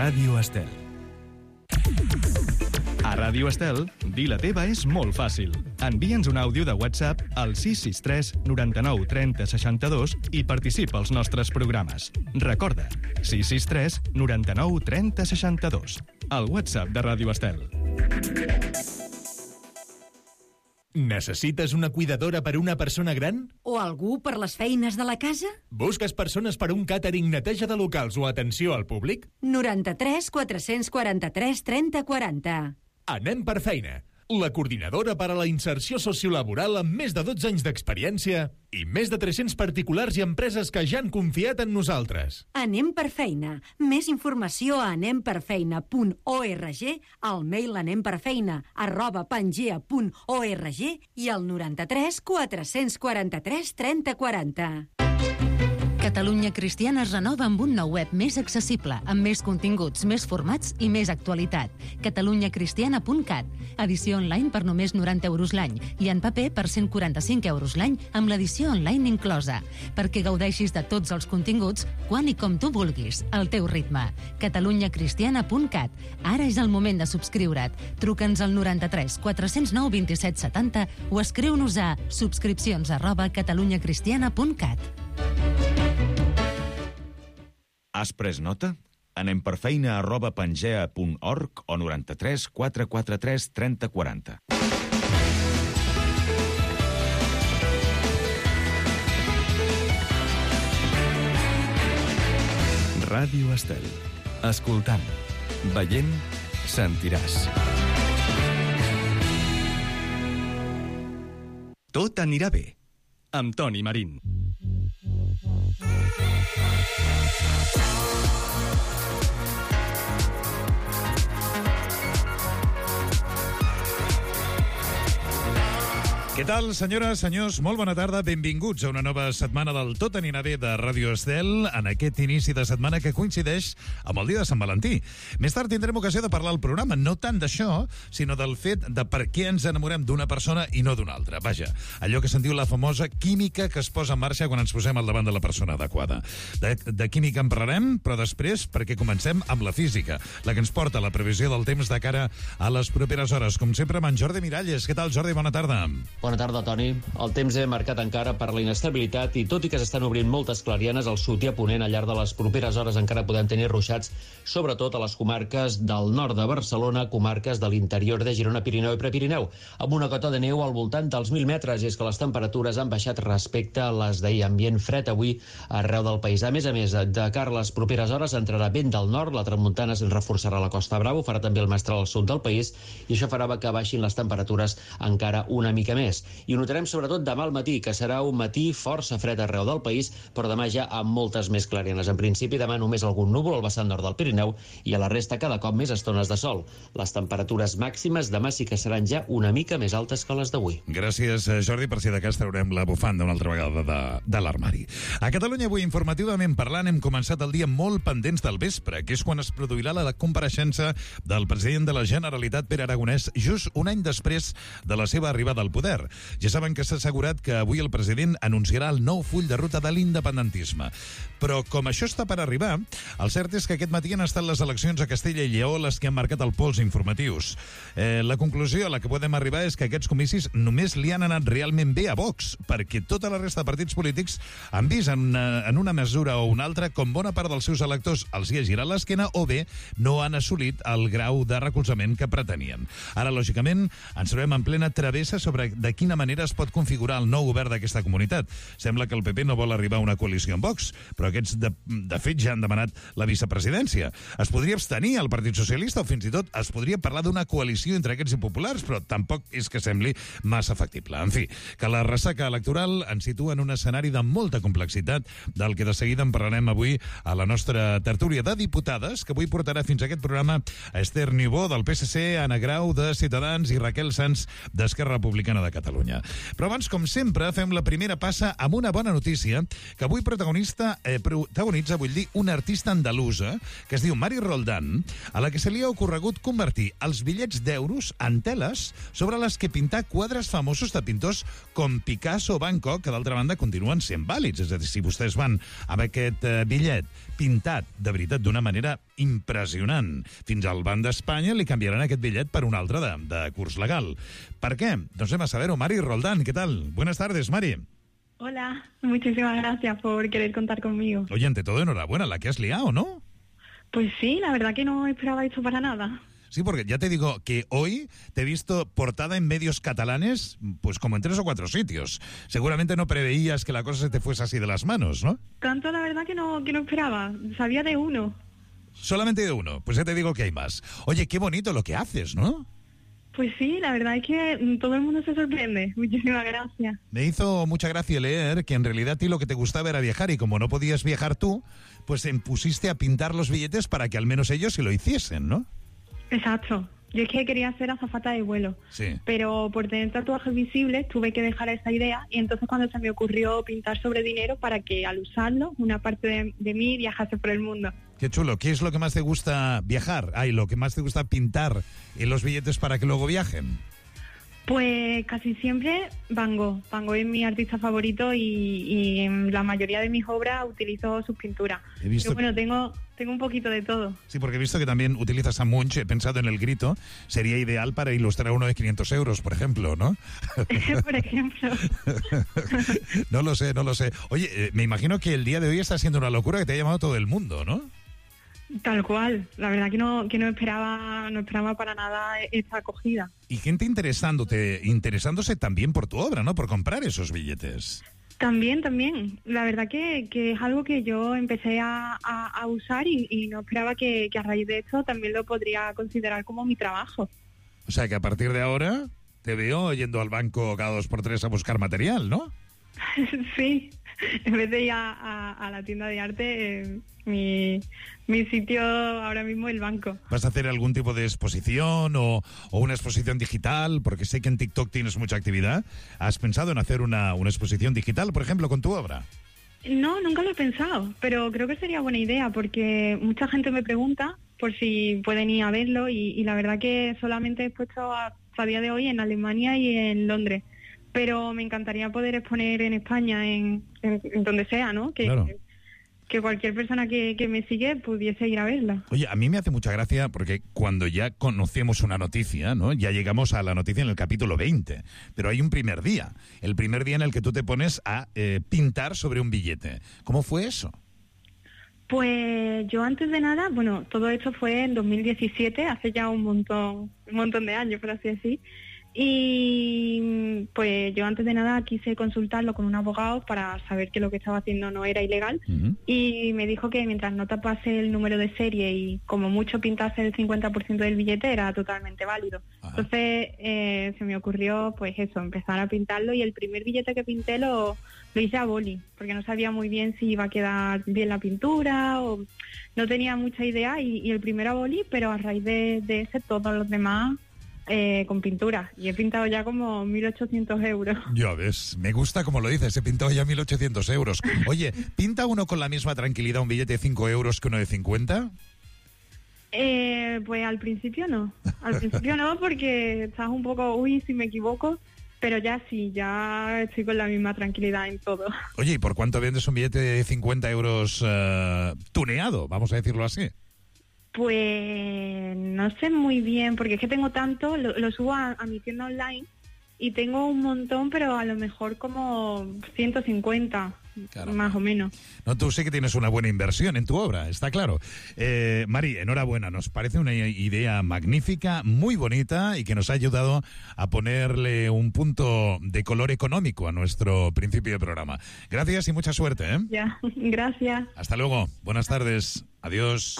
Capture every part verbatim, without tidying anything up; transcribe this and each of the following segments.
Ràdio Estel. A Ràdio Estel, dir la teva és molt fàcil. Envia'ns un àudio de WhatsApp al sis sis tres noranta-nou trenta seixanta-dos i participa als nostres programes. Recorda, sis sis tres noranta-nou trenta seixanta-dos. El WhatsApp de Ràdio Estel. Necessites una cuidadora per una persona gran? O algú per les feines de la casa? Busques persones per un càtering, neteja de locals o atenció al públic? noranta-tres quatre-cents quaranta-tres trenta quaranta. Anem per feina. La coordinadora per a la inserció sociolaboral amb més de dotze anys d'experiència i més de tres-cents particulars i empreses que ja han confiat en nosaltres. Anem per feina. Més informació a anem per feina punt org, al mail anemperfeina arroba pangea punt org i al noranta-tres quatre-cents quaranta-tres trenta quaranta. Catalunya Cristiana es renova amb un nou web més accessible, amb més continguts, més formats i més actualitat. catalunya cristiana punt cat. Edició online per només noranta euros l'any i en paper per cent quaranta-cinc euros l'any amb l'edició online inclosa. Perquè gaudeixis de tots els continguts quan i com tu vulguis, al teu ritme. catalunya cristiana punt cat. Ara és el moment de subscriure't. Truca'ns al noranta-tres quatre-cents nou vint-i-set setanta o escriu-nos a subscripcions arroba catalunya cristiana punt cat. Has pres nota? Anem per feina arroba pangea punt org o noranta-tres quatre quaranta-tres trenta quaranta. Ràdio Estel. Escoltant, veient, sentiràs. Tot anirà bé. Amb Toni Marín. Què tal, senyores, senyors? Molt bona tarda. Benvinguts a una nova setmana del Tot anirà bé de Ràdio Estel, en aquest inici de setmana que coincideix amb el dia de Sant Valentí. Més tard tindrem ocasió de parlar al programa, no tant d'això, sinó del fet de per què ens enamorem d'una persona i no d'una altra. Vaja, allò que se'n diu la famosa química que es posa en marxa quan ens posem al davant de la persona adequada. De, de química en parlarem, però després, perquè comencem amb la física, la que ens porta a la previsió del temps de cara a les properes hores. Com sempre, amb en Jordi Miralles. Què tal, Jordi? Bona tarda. Bona tarda, Toni. El temps és marcat encara per la inestabilitat i tot i que s'estan obrint moltes clarianes al sud i a ponent, al llarg de les properes hores encara podem tenir ruixats, sobretot a les comarques del nord de Barcelona, comarques de l'interior de Girona, Pirineu i Prepirineu, amb una cota de neu al voltant dels mil metres, i és que les temperatures han baixat respecte a les d'ahir. Ambient fred avui arreu del país. A més a més, de cara a les properes hores entrarà vent del nord, la tramuntana es reforçarà a la Costa Brava, farà també el mestral al sud del país, i això farà que baixin les temperatures encara una mica més. I ho notarem sobretot demà al matí, que serà un matí força fred arreu del país, però demà ja amb moltes més clarianes. En principi, demà només algun núvol al vessant nord del Pirineu i a la resta cada cop més estones de sol. Les temperatures màximes demà sí que seran ja una mica més altes que les d'avui. Gràcies, Jordi, per si de cas traurem la bufanda una altra vegada de, de l'armari. A Catalunya avui, informativament parlant, hem començat el dia molt pendents del vespre, que és quan es produirà la compareixença del president de la Generalitat, Pere Aragonès, just un any després de la seva arribada al poder. Ja saben que s'ha assegurat que avui el president anunciarà el nou full de ruta de l'independentisme. Però com això està per arribar, el cert és que aquest matí han estat les eleccions a Castella i Lleó les que han marcat el pols informatius. Eh, la conclusió a la que podem arribar és que aquests comicis només li han anat realment bé a Vox, perquè tota la resta de partits polítics han vist en una, en una mesura o una altra com bona part dels seus electors els hi ha girat l'esquena o bé no han assolit el grau de recolzament que pretenien. Ara, lògicament, ens trobem en plena travessa sobre de quina manera es pot configurar el nou govern d'aquesta comunitat. Sembla que el P P no vol arribar a una coalició amb Vox, però aquests de, de fet ja han demanat la vicepresidència. Es podria abstenir el Partit Socialista o fins i tot es podria parlar d'una coalició entre aquests i populars, però tampoc és que sembli massa factible. En fi, que la ressaca electoral ens situa en un escenari de molta complexitat, del que de seguida en parlarem avui a la nostra tertúlia de diputades, que avui portarà fins a aquest programa a Esther Niubó del P S C, Anna Grau de Ciutadans i Raquel Sanz d'Esquerra Republicana de Catalunya. Catalunya. Però abans, com sempre, fem la primera passa amb una bona notícia que avui protagonista, eh, protagonitza, vull dir, una artista andalusa que es diu Mari Roldán, a la que se li ha ocorregut convertir els bitllets d'euros en teles sobre les que pintar quadres famosos de pintors com Picasso o Van Gogh, que d'altra banda continuen sent vàlids. És a dir, si vostès van amb aquest eh, bitllet pintat, de veritat, d'una manera impressionant, fins al Banc d'Espanya li canviaran aquest bitllet per un altre de, de curs legal. Per què? Doncs anem a saber-ho. Mari Roldán, ¿qué tal? Buenas tardes, Mari. Hola, muchísimas gracias por querer contar conmigo. Oye, ante todo, enhorabuena, la que has liado, ¿no? Pues sí, la verdad que no esperaba esto para nada. Sí, porque ya te digo que hoy te he visto portada en medios catalanes, pues como en tres o cuatro sitios. Seguramente no preveías que la cosa se te fuese así de las manos, ¿no? Tanto la verdad que no, que no esperaba, sabía de uno. Solamente de uno, pues ya te digo que hay más. Oye, qué bonito lo que haces, ¿no? Pues sí, la verdad es que todo el mundo se sorprende. Muchísimas gracias. Me hizo mucha gracia leer que en realidad a ti lo que te gustaba era viajar y como no podías viajar tú, pues te pusiste a pintar los billetes para que al menos ellos sí lo hiciesen, ¿no? Exacto. Yo es que quería ser azafata de vuelo, sí. Pero por tener tatuajes visibles tuve que dejar esa idea y entonces cuando se me ocurrió pintar sobre dinero para que al usarlo una parte de, de mí viajase por el mundo. Qué chulo. ¿Qué es lo que más te gusta viajar? Ay, lo que más te gusta pintar en los billetes para que luego viajen. Pues casi siempre Van Gogh. Van Gogh es mi artista favorito y, y en la mayoría de mis obras utilizo sus pinturas. He visto... Pero bueno, tengo, tengo un poquito de todo. Sí, porque he visto que también utilizas a Munch. He pensado en El Grito. Sería ideal para ilustrar uno de quinientos euros, por ejemplo, ¿no? Por ejemplo. No lo sé, no lo sé. Oye, eh, me imagino que el día de hoy está siendo una locura que te ha llamado todo el mundo, ¿no? Tal cual, la verdad que no que no esperaba no esperaba para nada esta acogida. Y gente interesándote, interesándose también por tu obra, ¿no? Por comprar esos billetes. También, también. La verdad que, que es algo que yo empecé a, a, a usar y, y no esperaba que, que a raíz de esto también lo podría considerar como mi trabajo. O sea que a partir de ahora te veo yendo al banco cada dos por tres a buscar material, ¿no? Sí, en vez de ir a, a, a la tienda de arte, eh, mi, mi sitio ahora mismo es el banco. ¿Vas a hacer algún tipo de exposición o, o una exposición digital? Porque sé que en TikTok tienes mucha actividad. ¿Has pensado en hacer una, una exposición digital, por ejemplo, con tu obra? No, nunca lo he pensado, pero creo que sería buena idea porque mucha gente me pregunta por si pueden ir a verlo y, y la verdad que solamente he expuesto a, a día de hoy en Alemania y en Londres. Pero me encantaría poder exponer en España, en, en, en donde sea, ¿no? Que, claro. que cualquier persona que, que me sigue pudiese ir a verla. Oye, a mí me hace mucha gracia porque cuando ya conocemos una noticia, ¿no? Ya llegamos a la noticia en el capítulo veinte, pero hay un primer día, el primer día en el que tú te pones a eh, pintar sobre un billete. ¿Cómo fue eso? Pues yo antes de nada, bueno, todo esto fue en dos mil diecisiete, hace ya un montón, un montón de años, por así decir. Y pues yo antes de nada quise consultarlo con un abogado para saber que lo que estaba haciendo no era ilegal. Uh-huh. Y me dijo que mientras no tapase el número de serie y como mucho pintase el cincuenta por ciento del billete era totalmente válido. Uh-huh. Entonces eh, se me ocurrió pues eso, empezar a pintarlo y el primer billete que pinté lo, lo hice a boli, porque no sabía muy bien si iba a quedar bien la pintura o no tenía mucha idea y, y el primero a boli, pero a raíz de, de ese todos los demás Eh, con pintura, y he pintado ya como mil ochocientos euros. Ya ves, me gusta como lo dices, he pintado ya mil ochocientos euros. Oye, ¿pinta uno con la misma tranquilidad un billete de cinco euros que uno de cincuenta? Eh, pues al principio no, al principio no, porque estás un poco, uy, si me equivoco, pero ya sí, ya estoy con la misma tranquilidad en todo. Oye, ¿y por cuánto vendes un billete de cincuenta euros uh, tuneado, vamos a decirlo así? Pues no sé muy bien, porque es que tengo tanto, lo, lo subo a, a mi tienda online y tengo un montón, pero a lo mejor como ciento cincuenta, claro, más o menos. No, tú sí que tienes una buena inversión en tu obra, está claro. Eh, Mari, enhorabuena, nos parece una idea magnífica, muy bonita y que nos ha ayudado a ponerle un punto de color económico a nuestro principio de programa. Gracias y mucha suerte, ¿eh? Ya, gracias. Hasta luego, buenas tardes, adiós.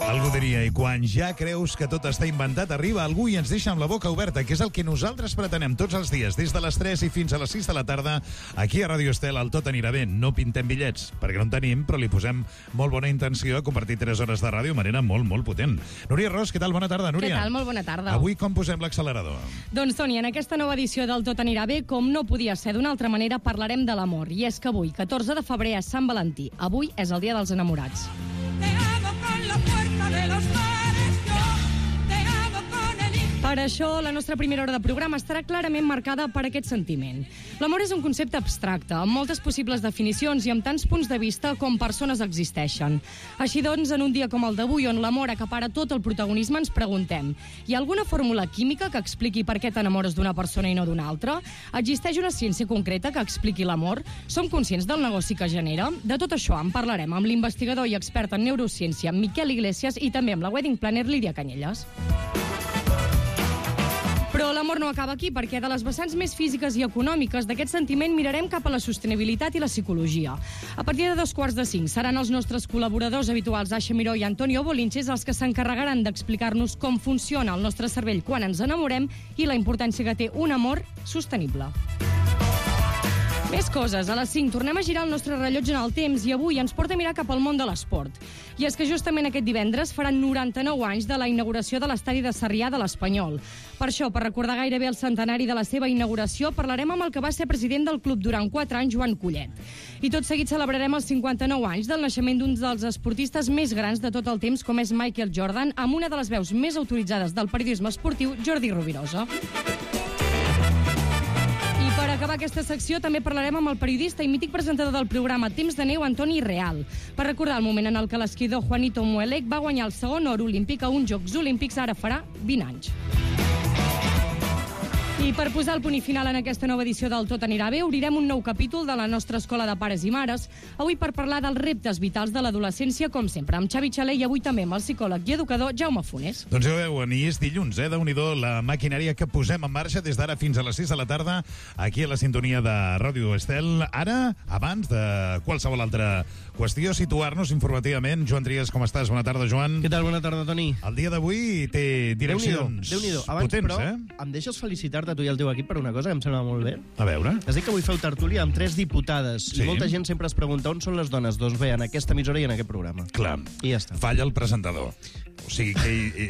Algo diria, i quan ja creus que tot està inventat, arriba algú i ens deixa amb la boca oberta, que és el que nosaltres pretenem tots els dies, des de les tres i fins a les sis de la tarda, aquí a Ràdio Estel, el Tot anirà bé. No pintem bitllets, perquè no en tenim, però li posem molt bona intenció a compartir tres hores de ràdio de manera molt, molt potent. Núria Ros, què tal? Bona tarda, Núria. Què tal? Molt bona tarda. Avui com posem l'accelerador? Doncs, Toni, en aquesta nova edició del Tot anirà bé, com no podia ser d'una altra manera, parlarem de l'amor. I és que avui, catorze de febrer, és Sant Valentí. Avui és el dia dels enamorats. Per això, la nostra primera hora de programa estarà clarament marcada per aquest sentiment. L'amor és un concepte abstracte, amb moltes possibles definicions i amb tants punts de vista com persones existeixen. Així doncs, en un dia com el d'avui, on l'amor acapara tot el protagonisme, ens preguntem: hi ha alguna fórmula química que expliqui per què t'enamores d'una persona i no d'una altra? Existeix una ciència concreta que expliqui l'amor? Som conscients del negoci que genera? De tot això en parlarem amb l'investigador i expert en neurociència Miquel Iglesias i també amb la wedding planner Lídia Canyelles. Però l'amor no acaba aquí, perquè de les vessants més físiques i econòmiques d'aquest sentiment mirarem cap a la sostenibilitat i la psicologia. A partir de dos quarts de cinc seran els nostres col·laboradors habituals Aixa Miró i Antonio Bolinches els que s'encarregaran d'explicar-nos com funciona el nostre cervell quan ens enamorem i la importància que té un amor sostenible. Més coses. A les cinc tornem a girar el nostre rellotge en el temps i avui ens porta a mirar cap al món de l'esport. I és que justament aquest divendres faran noranta-nou anys de la inauguració de l'estadi de Sarrià de l'Espanyol. Per això, per recordar gairebé el centenari de la seva inauguració, parlarem amb el que va ser president del club durant quatre anys, Joan Collet. I tot seguit celebrarem els cinquanta-nou anys del naixement d'un dels esportistes més grans de tot el temps, com és Michael Jordan, amb una de les veus més autoritzades del periodisme esportiu, Jordi Rovirosa. I per acabar aquesta secció també parlarem amb el periodista i mític presentador del programa Temps de Neu, Antoni Real, per recordar el moment en el que l'esquidor Juanito Muelec va guanyar el segon or olímpic a uns Jocs Olímpics ara farà vint anys. I per posar el punt i final en aquesta nova edició del Tot anirà bé, obrirem un nou capítol de la nostra escola de pares i mares, avui per parlar dels reptes vitals de l'adolescència, com sempre, amb Xavi Xaler i avui també amb el psicòleg i educador Jaume Funes. Doncs ja ho veuen, i és dilluns, eh? Déu-n'hi-do la maquinària que posem en marxa des d'ara fins a les sis de la tarda, aquí a la sintonia de Ràdio Estel. Ara, abans de qualsevol altra qüestió, situar-nos informativament. Joan Trias, com estàs? Bona tarda, Joan. Què tal? Bona tarda, Toni. El dia d'avui té direccions Déu-n'hi-do. Abans, potents, però, eh? em deixes felicitar-te tu i el teu equip per una cosa que em sembla molt bé. A veure. Has dit que avui feu tertúlia amb tres diputades. Sí. I molta gent sempre es pregunta on són les dones. Doncs bé, en aquesta emissora i en aquest programa. Clar. I ja està. Falla el presentador. O sigui que he, he,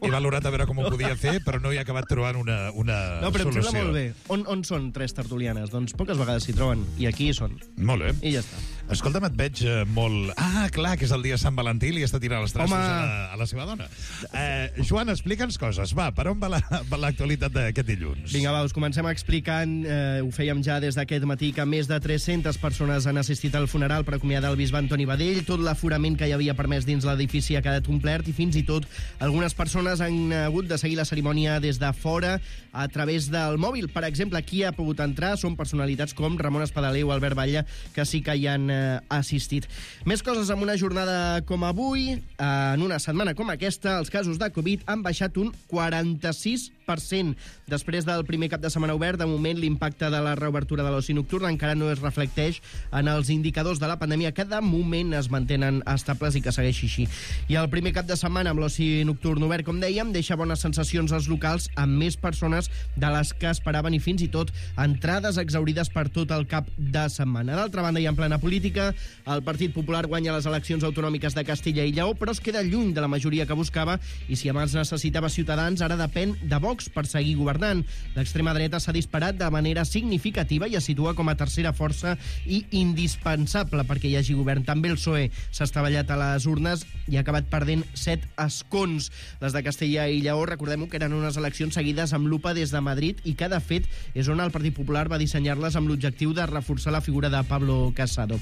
he valorat a veure com ho podia fer, però no he acabat trobant una, una no, però solució. em sembla molt bé. On, on són tres tertulianes? Doncs poques vegades s'hi troben. I aquí hi són. Molt bé. I ja està. Escolta'm, et veig eh, molt... Ah, clar, que és el dia de Sant Valentí i li està tirant els traços Home. a la, a la seva dona. Eh, Joan, explica'ns coses. Va, per on va l'actualitat la, d'aquest dilluns? Vinga, va, us comencem explicant, eh, ho fèiem ja des d'aquest matí, que més de tres-centes persones han assistit al funeral per acomiadar el bisbe Antoni Badell. Tot l'aforament que hi havia permès dins l'edifici ha quedat omplert i fins i tot algunes persones han hagut de seguir la cerimònia des de fora a través del mòbil. Per exemple, qui ha pogut entrar són personalitats com Ramon Espadalé o Albert Batlle, que sí que hi han eh, assistit. Més coses amb una jornada com avui. Eh, en una setmana com aquesta, els casos de Covid han baixat un quaranta-sis per cent. Després del primer cap de setmana obert, de moment l'impacte de la reobertura de l'oci nocturn encara no es reflecteix en els indicadors de la pandèmia, que de moment es mantenen estables i que segueixi així. I el primer cap de setmana amb l'oci nocturn obert, com dèiem, deixa bones sensacions als locals amb més persones de les que esperaven i fins i tot entrades exaurides per tot el cap de setmana. D'altra banda, i en plena política, el Partit Popular guanya les eleccions autonòmiques de Castella i Lleó, però es queda lluny de la majoria que buscava i si abans necessitava Ciutadans, ara depèn de Vox per seguir governant. L'extrema dreta s'ha disparat de manera significativa i es situa com a tercera força i indispensable perquè hi hagi govern. També el P S O E s'ha estavellat a les urnes i ha acabat perdent set escons. Les de Castella i Lleó, recordem-ho, que eren unes eleccions seguides amb lupa des de Madrid i que, de fet, és on el Partit Popular va dissenyar-les amb l'objectiu de reforçar la figura de Pablo Casado.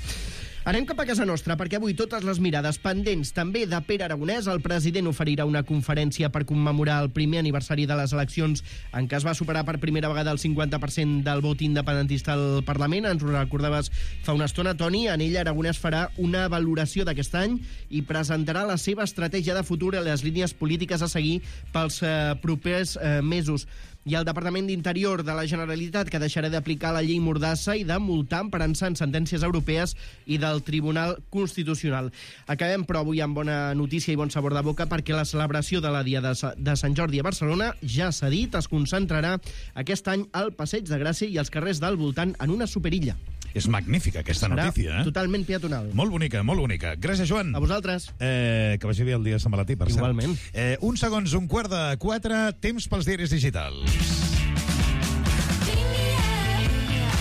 Anem cap a casa nostra, perquè avui totes les mirades pendents també de Pere Aragonès. El president oferirà una conferència per commemorar el primer aniversari de les eleccions en què es va superar per primera vegada el cinquanta per cent del vot independentista al Parlament. Ens ho recordaves fa una estona, Toni. En ella Aragonès farà una valoració d'aquest any i presentarà la seva estratègia de futur i les línies polítiques a seguir pels eh, propers eh, mesos. I el Departament d'Interior de la Generalitat, que deixarà d'aplicar la llei Mordassa i de multar emparant-se en sentències europees i del Tribunal Constitucional. Acabem, però, avui amb bona notícia i bon sabor de boca, perquè la celebració de la Diada de Sant Jordi a Barcelona, ja s'ha dit, es concentrarà aquest any al Passeig de Gràcia i als carrers del voltant en una superilla. És magnífica aquesta Serà notícia, eh? totalment peatonal. Molt bonica, molt bonica. Gràcies, Joan. A vosaltres. Eh, que vagi bé el dia de Sant Valentí, per cert. Igualment. Eh, un segons, un quart de quatre, temps pels diaris digitals.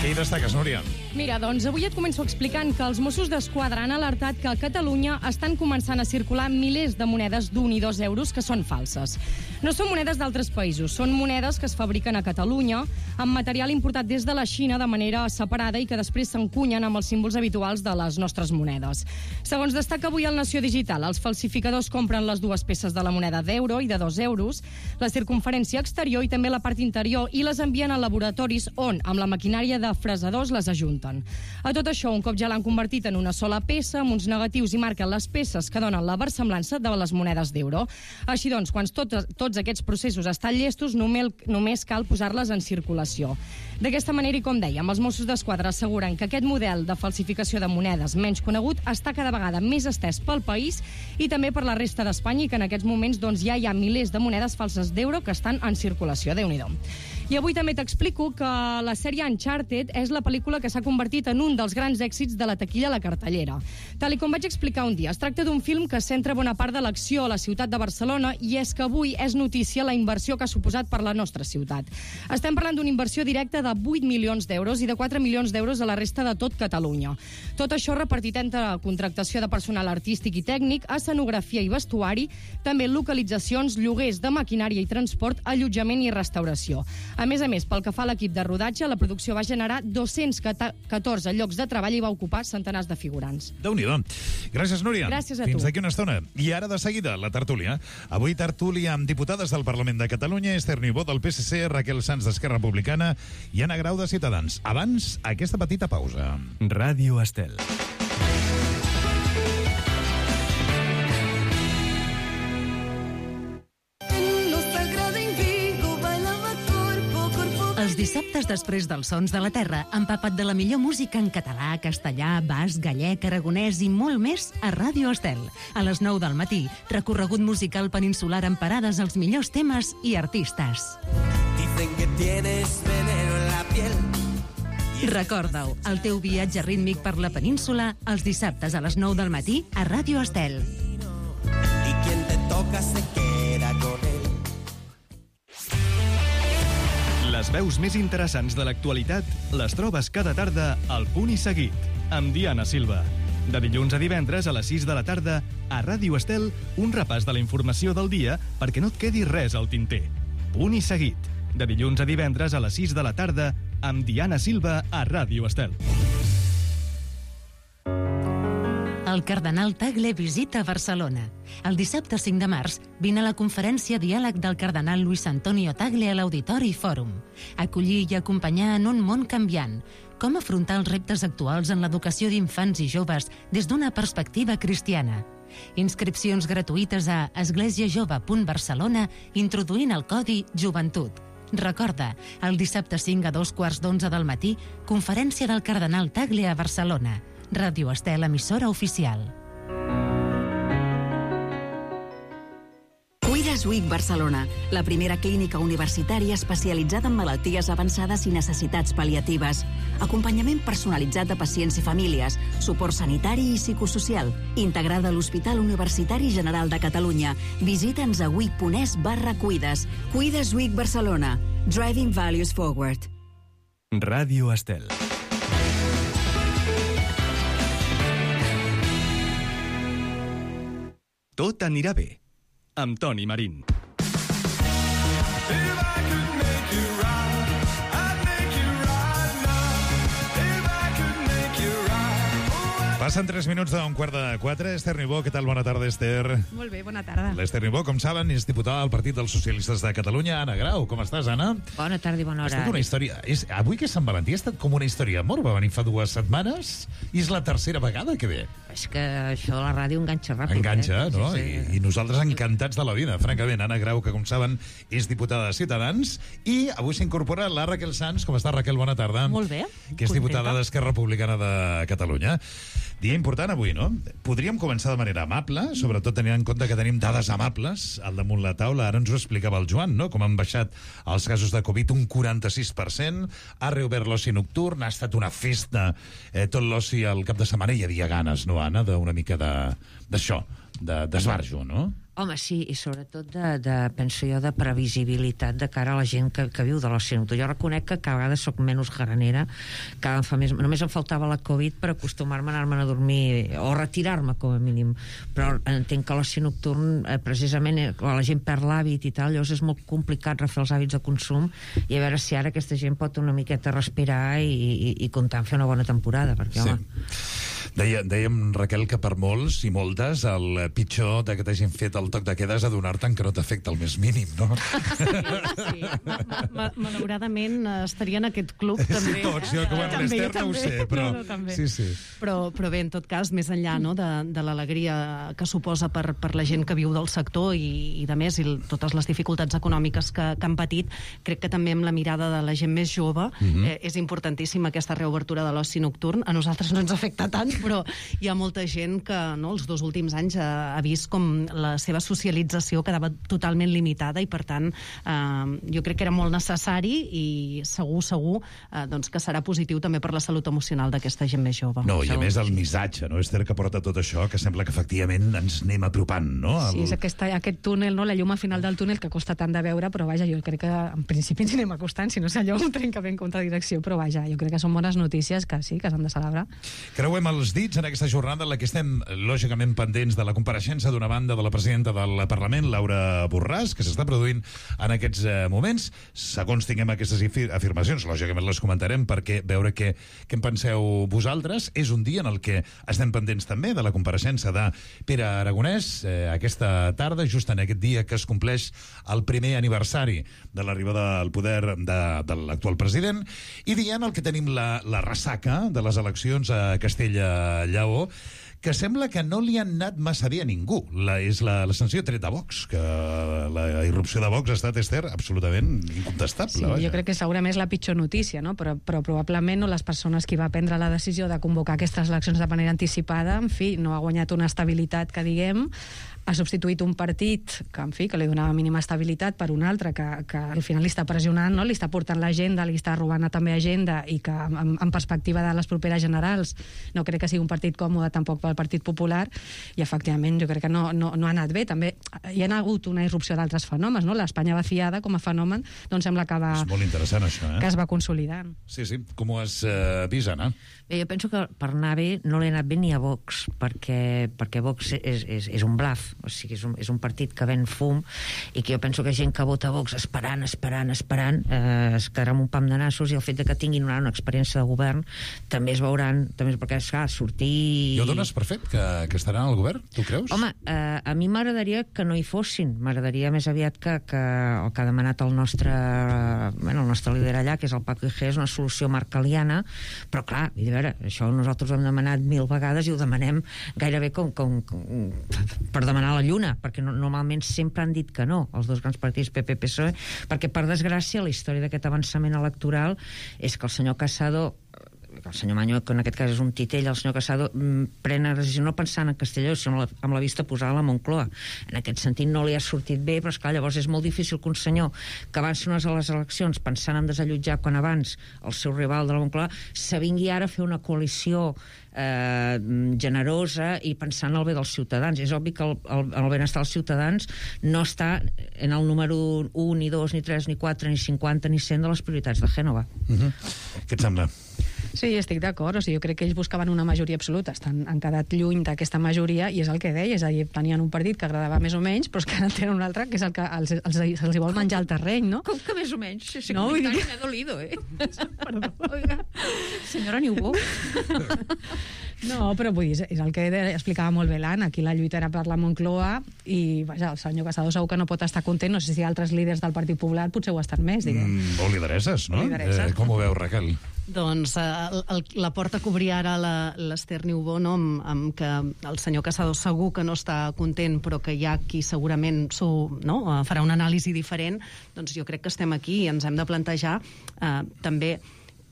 Què hi destaques, Núria? Mira, doncs avui et començo explicant que els Mossos d'Esquadra han alertat que a Catalunya estan començant a circular milers de monedes d'un i dos euros que són falses. No són monedes d'altres països, són monedes que es fabriquen a Catalunya amb material importat des de la Xina de manera separada i que després s'encunyen amb els símbols habituals de les nostres monedes. Segons destaca avui el Nació Digital, els falsificadors compren les dues peces de la moneda d'euro i de dos euros, la circunferència exterior i també la part interior, i les envien a laboratoris on, amb la maquinària de fresadors, les ajunten. A tot això, un cop ja l'han convertit en una sola peça, amb uns negatius i marquen les peces que donen la versemblança de les monedes d'euro. Així doncs, quan tot, tots aquests processos estan llestos, només, només cal posar-les en circulació. D'aquesta manera, i com dèiem, els Mossos d'Esquadra asseguren que aquest model de falsificació de monedes menys conegut està cada vegada més estès pel país i també per la resta d'Espanya, i que en aquests moments doncs, ja hi ha milers de monedes falses d'euro que estan en circulació. Déu-n'hi-do. I avui també t'explico que la sèrie Uncharted és la pel·lícula que s'ha convertit en un dels grans èxits de la taquilla a la cartellera. Tal i com vaig explicar un dia, es tracta d'un film que centra bona part de l'acció a la ciutat de Barcelona, i és que avui és notícia la inversió que ha suposat per la nostra ciutat. Estem parlant d'una inversió directa de vuit milions d'euros i de quatre milions d'euros a la resta de tot Catalunya. Tot això repartit entre contractació de personal artístic i tècnic, escenografia i vestuari, també localitzacions, lloguers de maquinària i transport, allotjament i restauració. A més a més, pel que fa a l'equip de rodatge, la producció va generar dos-cents catorze llocs de treball i va ocupar centenars de figurants. Déu-n'hi-do. Gràcies, Núria. Gràcies a tu. Fins d'aquí una estona. I ara, de seguida, la tertúlia. Avui tertúlia amb diputades del Parlament de Catalunya, Esther Niubó del P S C, Raquel Sanz d'Esquerra Republicana i Anna Grau de Ciutadans. Abans, aquesta petita pausa. Ràdio Estel. Els dissabtes després dels Sons de la Terra, empapat de la millor música en català, castellà, basc, gallec, aragonès i molt més a Ràdio Estel. A les nou del matí, recorregut musical peninsular amb parades als millors temes i artistes. Dicen que tienes veneno en la piel. Recorda-ho, el teu viatge rítmic per la península, els dissabtes a les nou del matí a Ràdio Estel. Y quien te toca se queda con él. Les veus més interessants de l'actualitat les trobes cada tarda al Punt i Seguit, amb Diana Silva. De dilluns a divendres a les sis de la tarda, a Ràdio Estel, un repàs de la informació del dia perquè no et quedi res al tinter. Punt i Seguit, de dilluns a divendres a les sis de la tarda, amb Diana Silva a Ràdio Estel. El cardenal Tagle visita Barcelona. El dissabte cinc de març vine a la conferència Diàleg del cardenal Luis Antonio Tagle a l'Auditori Fòrum. Acollir i acompanyar en un món canviant. Com afrontar els reptes actuals en l'educació d'infants i joves des d'una perspectiva cristiana. Inscripcions gratuïtes a esglésiajove punt barcelona introduint el codi Joventut. Recorda, el dissabte cinc a dos quarts d'onze del matí, conferència del cardenal Tagle a Barcelona. Ràdio Estel, emissora oficial. Cuides Week Barcelona, la primera clínica universitària especialitzada en malalties avançades i necessitats pal·liatives. Acompanyament personalitzat de pacients i famílies, suport sanitari i psicosocial, integrada a l'Hospital Universitari General de Catalunya. Visita'ns a week punt es barra cuides. Cuides Week Barcelona. Driving Values Forward. Ràdio Estel. Tot anirà bé, amb Toni Marín. Passen tres minuts d'un quart de quatre. Esther Niubó, què tal? Bona tarda, Esther. Molt bé, bona tarda. L'Esther Niubó, com saben, és diputada del Partit dels Socialistes de Catalunya. Anna Grau, com estàs, Anna? Bona tarda i bona Ha hora. estat una història... És, avui que és Sant Valentí ha estat com una història d'amor. Va venir fa dues setmanes i és la tercera vegada que ve. És que això de la ràdio enganxa ràpid. Enganxa, eh? no? Sí, sí. I, I nosaltres encantats de la vida. Francament, Anna Grau, que com saben és diputada de Ciutadans, i avui s'incorpora la Raquel Sans. Com està, Raquel? Bona tarda. Molt bé. Que és diputada Contenta. d'Esquerra Republicana de Catalunya. Dia important avui, no? Podríem començar de manera amable, sobretot tenint en compte que tenim dades amables al damunt la taula. Ara ens ho explicava el Joan, no? Com han baixat els casos de Covid un quaranta-sis per cent, ha reobert l'oci nocturn, ha estat una festa, eh, tot l'oci al cap de setmana. Hi havia ganes, no, Anna, d'una mica de- d'això, de, d'esbarjo, no? Home, sí, i sobretot de, de, penso jo, de previsibilitat de cara a la gent que, que viu de l'oci nocturn. Jo reconec que cada vegada soc menys granera, cada em fa més... Només em faltava la Covid per acostumar-me a anar-me'n a dormir, o retirar-me, com a mínim. Però entenc que l'oci nocturn, eh, precisament, eh, quan la gent perd l'hàbit i tal, llavors és molt complicat refer els hàbits de consum, i a veure si ara aquesta gent pot una miqueta respirar i, i, i comptar en fer una bona temporada, perquè, Sí. home... Deia, dèiem, Raquel, que per molts i moltes el pitjor de que t'hagin fet el toc de queda és adonar-te'n que no t'afecta el més mínim, no? Sí, ma malauradament estaria en aquest club també. Sí, tots, jo que bueno, També, l'Esther no ho també. sé, però... No, no, també. sí, sí. Però, però bé, en tot cas, més enllà no, de, de l'alegria que suposa per, per la gent que viu del sector i, i de més, i l- totes les dificultats econòmiques que, que han patit, crec que també amb la mirada de la gent més jove Mhm. eh, és importantíssima aquesta reobertura de l'oci nocturn. A nosaltres no ens afecta tant, però hi ha molta gent que no, els dos últims anys ha, ha vist com la seva socialització quedava totalment limitada i, per tant, eh, jo crec que era molt necessari i segur, segur, eh, doncs que serà positiu també per la salut emocional d'aquesta gent més jove. No, i a més el missatge, no, Esther, que porta tot això, que sembla que efectivament ens anem apropant, no? El... Sí, és aquesta, aquest túnel, no? La llum al final del túnel que costa tant de veure, però vaja, jo crec que en principi ens anem acostant, si no és allò un tren que ve en contradirecció, però vaja, jo crec que són bones notícies que sí, que s'han de celebrar. Creuem els dits en aquesta jornada en la que estem, lògicament, pendents de la compareixença d'una banda de la presidenta del Parlament, Laura Borràs, que s'està produint en aquests eh, moments. Segons tinguem aquestes afir- afirmacions, lògicament les comentarem perquè veure què, què en penseu vosaltres. És un dia en el que estem pendents també de la compareixença de Pere Aragonès, eh, aquesta tarda, just en aquest dia que es compleix el primer aniversari de l'arribada al poder de, de l'actual president, i dia en el que tenim la, la ressaca de les eleccions a Castella-Lleó, que sembla que no li han anat massa bé a ningú. La, és la, la sanció tret de Vox, que la irrupció de Vox ha estat, Esther, absolutament incontestable. Sí, vaja. jo crec que segurament és la pitjor notícia, no? però, però probablement no les persones que va prendre la decisió de convocar aquestes eleccions de manera anticipada, en fi, no ha guanyat una estabilitat que diguem, ha substituït un partit que, en fi, que li donava mínima estabilitat per un altre que, que al final li està pressionant, no? Li està portant l'agenda, li està robant també agenda, i que en, en perspectiva de les properes generals no crec que sigui un partit còmode tampoc pel Partit Popular, i efectivament jo crec que no, no, no ha anat bé. També hi ha hagut una irrupció d'altres fenòmens, no? L'Espanya vaciada com a fenomen doncs sembla que, va, És molt interessant, això, eh? que es va consolidant. Sí, sí. Com ho has eh, vist, Anna? Bé, jo penso que per anar bé no li ha anat bé ni a Vox, perquè, perquè Vox és, és, és un bluff, o sigui, és un, és un partit que ven fum, i que jo penso que gent que vota Vox esperant, esperant, esperant, eh, es quedarà amb un pam de nassos, i el fet de que tinguin una, una experiència de govern també es veuran, també és perquè, esclar, sortir... I ho dones per fet, que, que estaran al govern? Tu creus? Home, eh, a mi m'agradaria que no hi fossin. M'agradaria més aviat que, que el que ha demanat el nostre, bueno, el nostre líder allà, que és el Paco Igea, és una solució marcaliana, però clar, a veure, això nosaltres ho hem demanat mil vegades i ho demanem gairebé com, com, com per demanar la lluna, perquè no, normalment sempre han dit que no, els dos grans partits P P P S O E, perquè per desgràcia la història d'aquest avançament electoral és que el senyor Casado, el senyor Maño, que en aquest cas és un titell, el senyor Casado mm, pren la decisió no pensant en Castelló, sinó amb la vista posada a la Moncloa. En aquest sentit no li ha sortit bé, però esclar, llavors és molt difícil que un senyor que avança unes a les eleccions pensant en desallotjar quan abans el seu rival de la Moncloa se vingui ara a fer una coalició eh, generosa i pensant en el bé dels ciutadans. És obvi que el, el, el benestar dels ciutadans no està en el número un, ni dos, ni tres, ni quatre, ni cinquanta, ni cent de les prioritats de Gènova. Uh -huh. Què et sembla? Sí, estic d'acord. O sigui, jo crec que ells buscaven una majoria absoluta. Estan, han quedat lluny d'aquesta majoria, i és el que deia. És a dir, tenien un partit que agradava més o menys, però és que ara tenen un altre que és el que els, els, els hi vol menjar el terreny, no? Com que més o menys? Si, si No, vull dir- m'ha dolido, eh? Perdó. Oiga, senyora Niubó. No, però vull dir, és el que explicava molt bé l'Anna. Aquí la lluita era per la Moncloa i, vaja, el senyor Casado segur que no pot estar content. No sé si altres líders del Partit Popular potser ho estan més, diguem. Mm, o lideresses, no? Lideresses. Eh, com ho veu, Raquel? Doncs eh, el, el, la porta que obria ara l'Ester Niubó, no, amb, amb que el senyor Casado segur que no està content, però que hi ha qui segurament no, farà una anàlisi diferent, doncs jo crec que estem aquí i ens hem de plantejar eh, també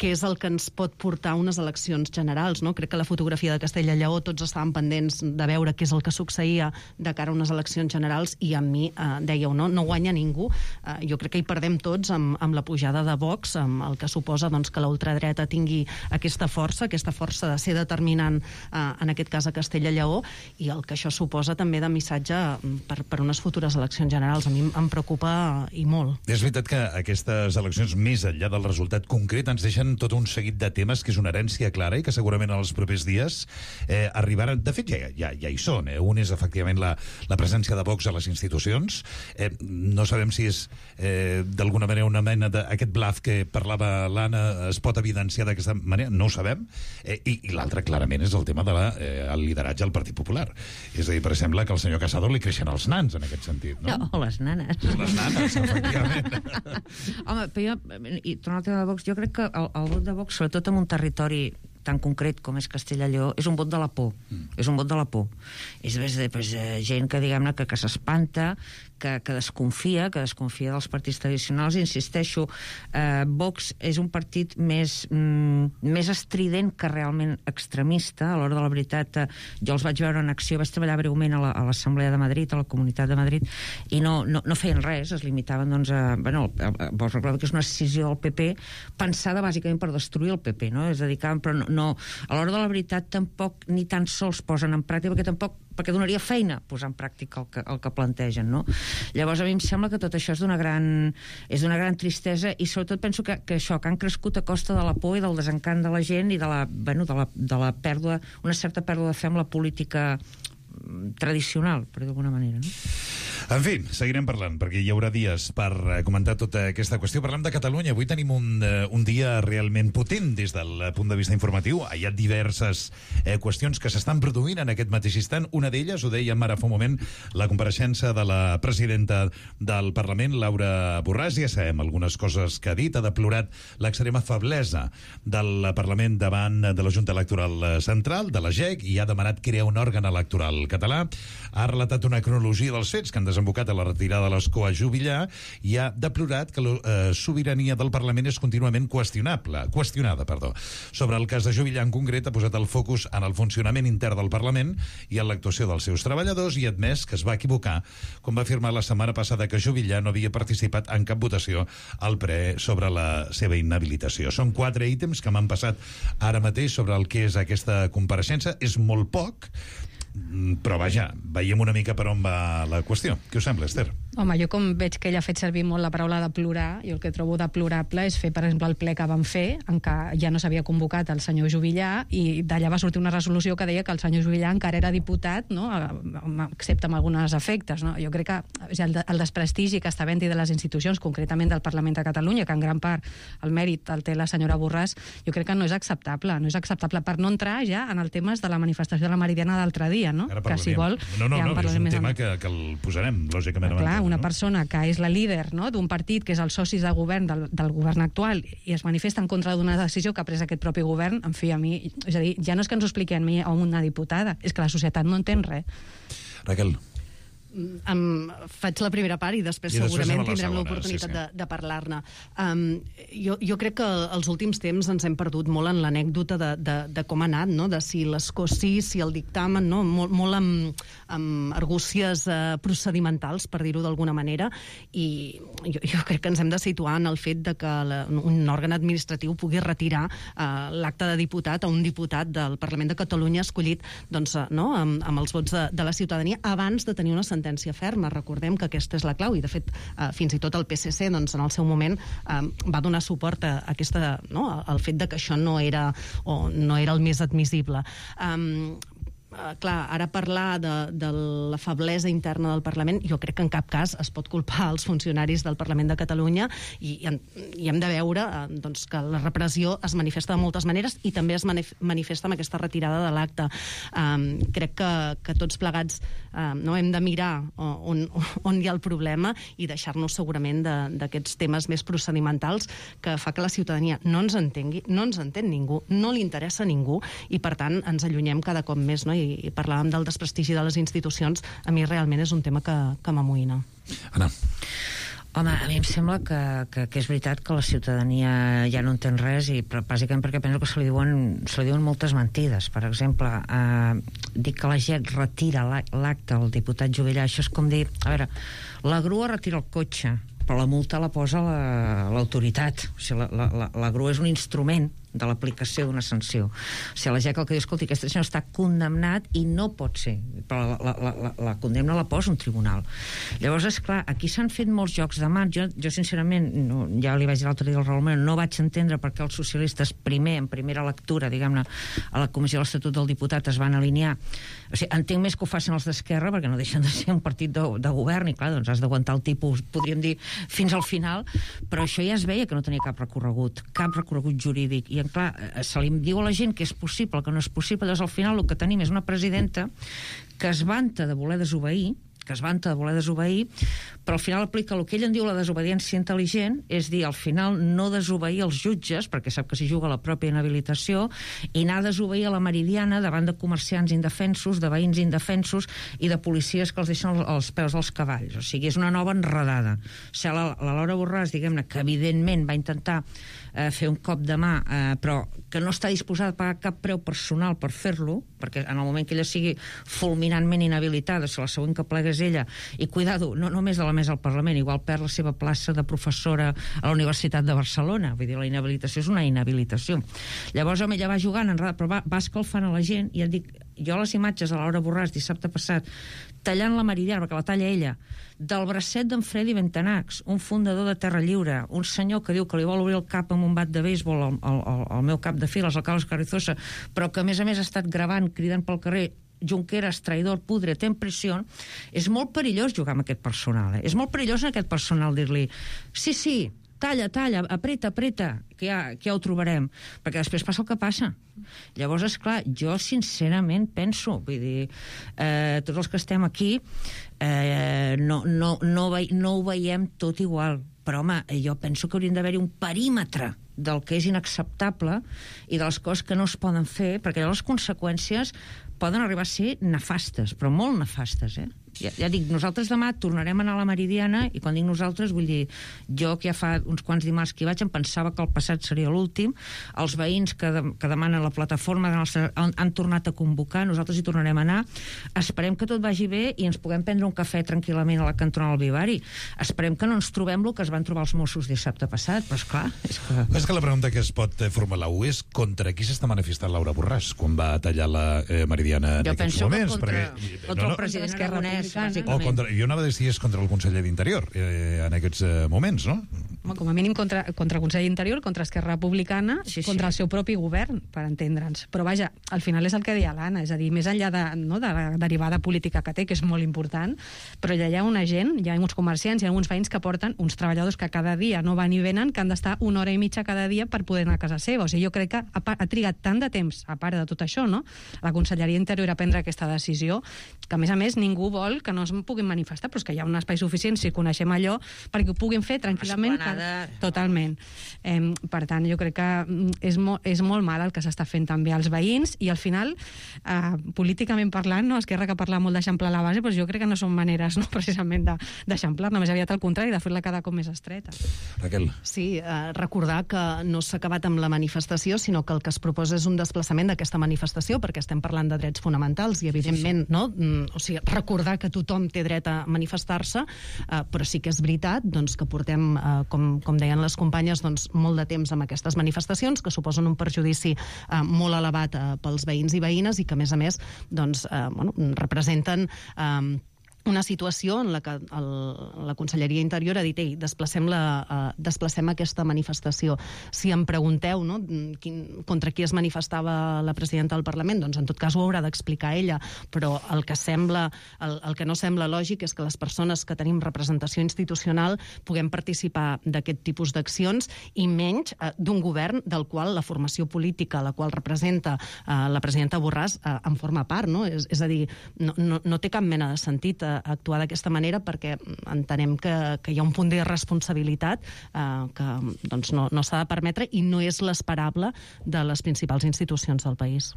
què és el que ens pot portar a unes eleccions generals, no? Crec que la fotografia de Castella i Lleó tots estàvem pendents de veure què és el que succeïa de cara a unes eleccions generals i a mi, eh, dèieu, no, no guanya ningú. Eh, jo crec que hi perdem tots amb, amb la pujada de Vox, amb el que suposa doncs, que la ultradreta tingui aquesta força, aquesta força de ser determinant, eh, en aquest cas a Castella i Lleó, i el que això suposa també de missatge per, per unes futures eleccions generals. A mi em preocupa i molt. És veritat que aquestes eleccions, més enllà del resultat concret, ens deixen tot un seguit de temes que és una herència clara i que segurament en els propers dies eh, arribaran... De fet, ja, ja, ja hi són. Eh? Un és, efectivament, la, la presència de Vox a les institucions. Eh, no sabem si és, eh, d'alguna manera, una mena d'aquest bluff que parlava l'Anna es pot evidenciar d'aquesta manera. No ho sabem. Eh, I i l'altre, clarament, és el tema del de eh, el lideratge al Partit Popular. És a dir, per exemple, que al senyor Casado li creixen els nans, en aquest sentit, no? No, les nanes. Les nanes, efectivament. Home, però jo, i tornant al tema de Vox, jo crec que el, el vot de Vox, sobretot en un territori tan concret com és Castella i Lleó, és un vot de la por. Mm. És un vot de la por. És de, pues, gent que, diguem-ne, que, que s'espanta, que, que desconfia, que desconfia dels partits tradicionals. Insisteixo, eh, Vox és un partit més, mm, més estrident que realment extremista. A l'hora de la veritat, eh, jo els vaig veure en acció, vaig treballar breument a l'Assemblea de Madrid, a la Comunitat de Madrid, i no, no, no feien res, es limitaven, doncs, a... Bueno, vos recordeu que és una decisió del P P pensada bàsicament per destruir el P P, no? És a dir, que, però no, no, a l'hora de la veritat tampoc ni tan sols posen en pràctica, perquè tampoc perquè donaria feina posar en pràctica el que, el que plantegen, no? Llavors a mi em sembla que tot això és d'una gran és d'una gran tristesa i sobretot penso que, que això, que han crescut a costa de la por i del desencant de la gent i de la, bueno, de la, de la pèrdua, una certa pèrdua de fe amb la política tradicional, per d'alguna manera, no? En fi, seguirem parlant, perquè hi haurà dies per comentar tota aquesta qüestió. Parlem de Catalunya. Avui tenim un, un dia realment potent des del punt de vista informatiu. Hi ha diverses eh, qüestions que s'estan produint en aquest mateix instant. Una d'elles, ho dèiem ara fa un moment, la compareixença de la presidenta del Parlament, Laura Borràs. Ja sabem algunes coses que ha dit. Ha deplorat l'extrema feblesa del Parlament davant de la Junta Electoral Central, de la G E C, i ha demanat crear un òrgan electoral català. Ha relatat una cronologia dels fets que han desembocat a la retirada de l'escó a Juvillà i ha deplorat que la eh, sobirania del Parlament és contínuament qüestionable, qüestionada. Perdó. Sobre el cas de Juvillà en concret ha posat el focus en el funcionament intern del Parlament i en l'actuació dels seus treballadors i ha admès que es va equivocar quan va afirmar la setmana passada que Juvillà no havia participat en cap votació al ple sobre la seva inhabilitació. Són quatre ítems que m'han passat ara mateix sobre el que és aquesta compareixença. És molt poc, però vaja, veiem una mica per on va la qüestió. Què us sembla, Esther? Home, jo com veig que ella ha fet servir molt la paraula de plorar, jo el que trobo deplorable és fer, per exemple, el ple que van fer, en què ja no s'havia convocat el senyor Juvillà, i d'allà va sortir una resolució que deia que el senyor Juvillà encara era diputat, no? Excepte amb alguns efectes, no? Jo crec que el, el desprestigi que està havent-hi de les institucions, concretament del Parlament de Catalunya, que en gran part el mèrit el té la senyora Borràs, jo crec que no és acceptable. No és acceptable per no entrar ja en el tema de la manifestació de la Meridiana d'altre dia, no? Que si vol... No, no, ja no, és un més tema que, que el posarem, lògicament. Clar, una no? persona que és la líder, no?, d'un partit que és els socis de govern del, del govern actual i es manifesta en contra d'una decisió que ha pres aquest propi govern, en fi, a mi, és a dir, ja no és que ens ho expliqui a mi o a una diputada, és que la societat no entén res. Raquel. Um, faig la primera part i després, I després segurament la tindrem l'oportunitat sí, sí. de, de parlar-ne. Um, jo, jo crec que els últims temps ens hem perdut molt en l'anècdota de, de, de com ha anat, no? De si l'escó sí, si el dictamen, no? Molt, molt amb, amb argúcies uh, procedimentals, per dir-ho d'alguna manera, i jo, jo crec que ens hem de situar en el fet de que la, un òrgan administratiu pugui retirar uh, l'acte de diputat a un diputat del Parlament de Catalunya escollit, doncs, uh, no? amb, amb els vots de, de la ciutadania abans de tenir una sentència sentència ferma. Recordem que aquesta és la clau i, de fet, eh, fins i tot el P S C, doncs, en el seu moment eh, va donar suport a aquesta, no?, al fet de que això no era, o no era el més admissible. Um, clar, ara parlar de, de la feblesa interna del Parlament, jo crec que en cap cas es pot culpar els funcionaris del Parlament de Catalunya i, i, i hem de veure eh, doncs, que la repressió es manifesta de moltes maneres i també es manif manifesta amb aquesta retirada de l'acte. Um, crec que, que tots plegats um, no hem de mirar on, on hi ha el problema i deixar-nos segurament d'aquests temes més procedimentals que fa que la ciutadania no ens entengui, no ens entén ningú, no li interessa a ningú i per tant ens allunyem cada cop més, no? I, i parlàvem del desprestigi de les institucions, a mi realment és un tema que, que m'amoïna. Anna. Home, a mi em sembla que, que, que és veritat que la ciutadania ja no entén res, i però bàsicament perquè penso que se li diuen, se li diuen moltes mentides. Per exemple, eh, dir que la gent retira l'acte al diputat Juvillà, això és com dir, a veure, la grua retira el cotxe, però la multa la posa l'autoritat. La, o sigui, la, la, la, la grua és un instrument de l'aplicació d'una sanció. O sigui, la G E C el que diu, escolti, aquest senyor està condemnat i no pot ser, però la, la, la, la condemna la posa un tribunal. Llavors, és clar, aquí s'han fet molts jocs de mans. Jo, jo sincerament, no, ja li vaig dir l'altre dia al Raül Moreno, no vaig entendre per què els socialistes primer, en primera lectura, diguem-ne, a la Comissió de l'Estatut del Diputat es van alinear. O sigui, entenc més que ho facin els d'Esquerra, perquè no deixen de ser un partit de, de govern, i clar, doncs has d'aguantar el tipus, podríem dir, fins al final, però això ja es veia que no tenia cap recorregut, cap recorregut jurídic, i clar, se li diu a la gent que és possible, que no és possible, llavors al final el que tenim és una presidenta que es vanta de voler desobeir, que es vanta de voler desobeir, però al final aplica el que ell en diu la desobediència intel·ligent, és dir, al final no desobeir els jutges, perquè sap que s'hi juga la pròpia inhabilitació, i anar a desobeir a la Meridiana davant de comerciants indefensos, de veïns indefensos i de policies que els deixen als peus dels cavalls. O sigui, és una nova enredada. O sigui, la, la Laura Borràs, diguem-ne, que evidentment va intentar eh, fer un cop de mà, eh, però que no està disposada a pagar cap preu personal per fer-lo, perquè en el moment que ella sigui fulminantment inhabilitada, si la següent que plega és ella, i cuidado, no només de la mesa al Parlament, igual perd la seva plaça de professora a la Universitat de Barcelona, vull dir, la inhabilitació és una inhabilitació. Llavors, home, ella va jugant, però va, va escalfant a la gent, i et dic, jo les imatges de Laura Borràs dissabte passat, tallant la Meridiana, perquè la talla ella, del bracet d'en Freddy Bentenax, un fundador de Terra Lliure, un senyor que diu que li vol obrir el cap amb un bat de béisbol al, al, al meu cap de files, al Carlos Carrizosa, però que a més a més ha estat gravant, cridant pel carrer, Junqueras, traïdor, pudre, ten pressió. És molt perillós jugar amb aquest personal, eh? És molt perillós en aquest personal dir-li sí, sí, talla, talla, apreta, apreta, que ja, que ja ho trobarem, perquè després passa el que passa. Llavors, esclar, jo sincerament penso, vull dir, eh, tots els que estem aquí eh, no, no, no, ve, no ho veiem tot igual, però home, jo penso que hauríem d'haver-hi un perímetre del que és inacceptable i de les coses que no es poden fer, perquè les conseqüències poden arribar a ser nefastes, però molt nefastes, eh? Ja, ja dic, nosaltres demà tornarem a anar a la Meridiana, i quan dic nosaltres vull dir, jo que ja fa uns quants dimarts que hi vaig em pensava que el passat seria l'últim, els veïns que, de, que demanen la plataforma de nostra, han, han tornat a convocar, nosaltres hi tornarem a anar, esperem que tot vagi bé i ens puguem prendre un cafè tranquil·lament a la cantonada del Vivari, esperem que no ens trobem el que es van trobar els Mossos dissabte passat, però esclar, és que... És que la pregunta que es pot formular és contra qui s'està manifestant Laura Borràs quan va tallar la eh, Meridiana en jo aquests moments? Jo penso que contra, perquè, contra no, no, el president Aragonès, o contra, jo anava a dir si és contra el conseller d'Interior eh, en aquests eh, moments, no? Home, com a mínim contra, contra el Consell d'Interior, contra Esquerra Republicana, sí, sí. Contra el seu propi govern, per entendre'ns. Però vaja, al final és el que deia l'Anna, és a dir, més enllà de, no, de la derivada política que té, que és molt important, però allà hi ha una gent, hi ha uns comerciants, hi ha uns veïns que porten uns treballadors que cada dia no van i venen, que han d'estar una hora i mitja cada dia per poder anar a casa seva. O sigui, jo crec que ha, ha trigat tant de temps, a part de tot això, no? La Conselleria d'Interior a prendre aquesta decisió, que a més a més ningú vol que no es puguin manifestar, però és que hi ha un espai suficient, si coneixem allò, perquè ho puguin fer tranquil·lament. Esplanada. Totalment. Eh, per tant, jo crec que és, mo és molt mal el que s'està fent també als veïns, i al final, eh, políticament parlant, no? Esquerra que parla molt d'eixamplar la base, però jo crec que no són maneres, no, precisament d'eixamplar-la, més aviat al contrari, de fer-la cada cop més estreta. Raquel. Sí, eh, recordar que no s'ha acabat amb la manifestació, sinó que el que es proposa és un desplaçament d'aquesta manifestació, perquè estem parlant de drets fonamentals, i evidentment, no? O sigui, recordar que tothom té dret a manifestar-se, eh, però sí que és veritat doncs, que portem, eh, com, com deien les companyes, doncs, molt de temps amb aquestes manifestacions, que suposen un perjudici eh, molt elevat eh, pels veïns i veïnes, i que, a més a més, doncs, eh, bueno, representen... Eh, una situació en la que el, la Conselleria Interior ha dit ei, desplacem, la, uh, desplacem aquesta manifestació. Si em pregunteu no, quin, contra qui es manifestava la presidenta del Parlament, doncs en tot cas ho haurà d'explicar ella, però el que sembla, el, el que no sembla lògic és que les persones que tenim representació institucional puguem participar d'aquest tipus d'accions i menys uh, d'un govern del qual la formació política, la qual representa uh, la presidenta Borràs, uh, en forma part, no? És, és a dir, no, no, no té cap mena de sentit uh, actuar d'aquesta manera perquè entenem que, que hi ha un punt de responsabilitat eh, que doncs, no, no s'ha de permetre i no és l'esperable de les principals institucions del país.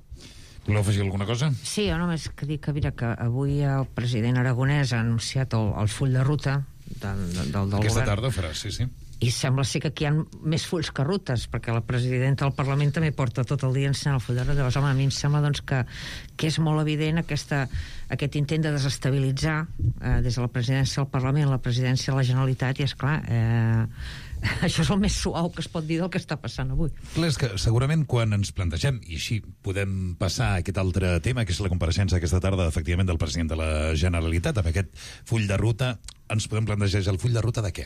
Voleu afegir alguna cosa? Sí, jo només que dic que, mira, que avui el president aragonès ha anunciat el, el full de ruta del, del, del Aquesta govern. tarda ho farà, sí, sí. I sembla ser que aquí hi ha més fulls que rutes, perquè la presidenta del Parlament també porta tot el dia ensenyant el full de ruta. Llavors, home, a mi em sembla doncs, que, que és molt evident aquesta, aquest intent de desestabilitzar eh, des de la presidència del Parlament la presidència de la Generalitat, i és clar, eh, això és el més suau que es pot dir del que està passant avui. Clar, és que segurament quan ens plantegem, i així podem passar a aquest altre tema, que és la compareixença aquesta tarda, efectivament, del president de la Generalitat, amb aquest full de ruta, ens podem plantejar el full de ruta de què?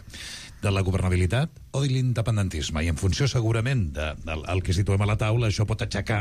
De la governabilitat o de l'independentisme? I en funció, segurament, del de, de, que situem a la taula, això pot aixecar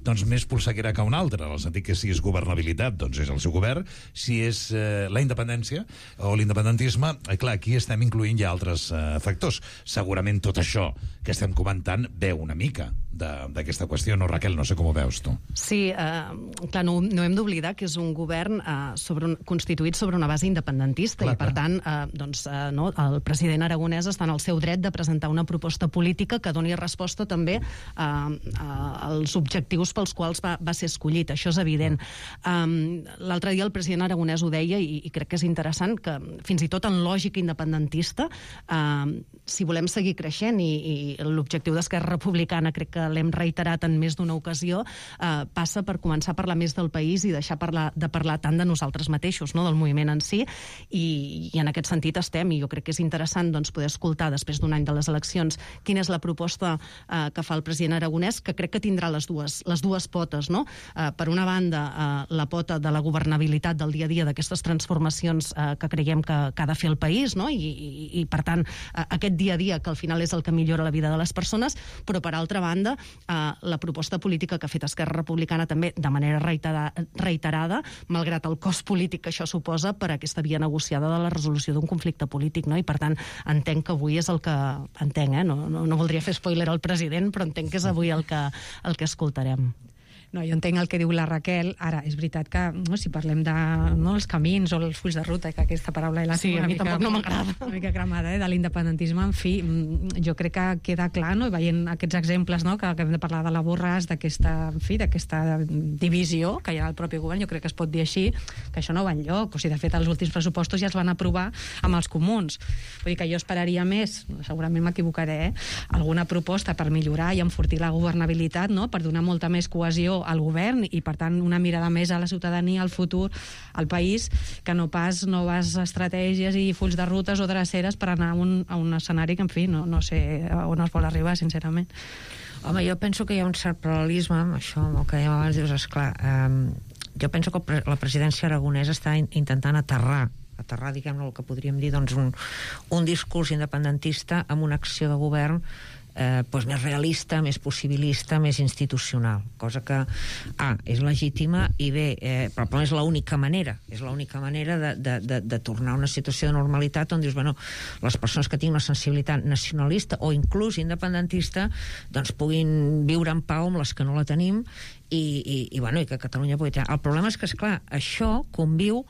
doncs, més polseguera que un altre, en el sentit que si és governabilitat, doncs és el seu govern, si és eh, la independència o l'independentisme, eh, clar, aquí estem incloent ja altres eh, factors. Segurament tot això que estem comentant veu una mica d'aquesta qüestió, no, Raquel? No sé com ho veus, tu. Sí, eh, clar, no, no hem d'oblidar que és un govern eh, sobre un, constituït sobre una base independentista clar, i, per clar. tant, eh, doncs, eh, no, el president aragonès està en el seu dret de presentar una proposta política que doni resposta també eh, als objectius pels quals va, va ser escollit. Això és evident. Um, L'altre dia el president aragonès ho deia i, i crec que és interessant que fins i tot en lògica independentista eh, si volem seguir creixent i, i l'objectiu d'Esquerra Republicana crec que l'hem reiterat en més d'una ocasió, eh, passa per començar a parlar més del país i deixar parlar, de parlar tant de nosaltres mateixos, no? Del moviment en si, i, i en aquest sentit estem, i jo crec que és interessant doncs, poder escoltar després d'un any de les eleccions quina és la proposta eh, que fa el president aragonès, que crec que tindrà les dues, les dues potes, no? Eh, per una banda, eh, la pota de la governabilitat del dia a dia d'aquestes transformacions eh, que creiem que, que ha de fer el país, no? I, i, i per tant, eh, aquest dia a dia que al final és el que millora la vida de les persones, però per altra banda eh, la proposta política que ha fet Esquerra Republicana també de manera reiterada, reiterada malgrat el cost polític que això suposa per aquesta via negociada de la resolució d'un conflicte polític, no? I per tant entenc que avui és el que entenc, eh? no, no, no voldria fer spoiler al president, però entenc que és avui el que, el que escoltarem. No, jo entenc el que diu la Raquel. Ara, és veritat que no, si parlem de no, els camins o els fulls de ruta, que aquesta paraula la sí, a mi mica, tampoc no m'agrada. Una mica cremada, eh, de l'independentisme, en fi, jo crec que queda clar, no, veient aquests exemples, no, que, que hem de parlar de la Borràs, d'aquesta, en fi, d'aquesta divisió que hi ha al propi govern, jo crec que es pot dir així, que això no va enlloc. O sigui, de fet, els últims pressupostos ja es van aprovar amb els comuns. Vull dir que jo esperaria més, segurament m'equivocaré, eh, alguna proposta per millorar i enfortir la governabilitat, no, per donar molta més cohesió al govern i, per tant, una mirada més a la ciutadania, al futur, al país, que no pas noves estratègies i fulls de rutes o dreceres per anar a un, a un escenari que, en fi, no, no sé on es vol arribar, sincerament. Home, jo penso que hi ha un cert paral·lelisme amb això, amb el que dèiem abans, dius, esclar, eh, jo penso que la presidència aragonesa està intentant aterrar aterrar, diguem-ne, el que podríem dir, doncs, un, un discurs independentista amb una acció de govern eh, doncs més realista, més possibilista, més institucional, cosa que A, és legítima, i B, eh, però és l'única manera, és l'única manera de, de, de, de tornar a una situació de normalitat on dius, bueno, les persones que tinguin una sensibilitat nacionalista o inclús independentista, doncs puguin viure en pau amb les que no la tenim i, i, i, bueno, i que Catalunya pugui tenir. El problema és que, esclar, això conviu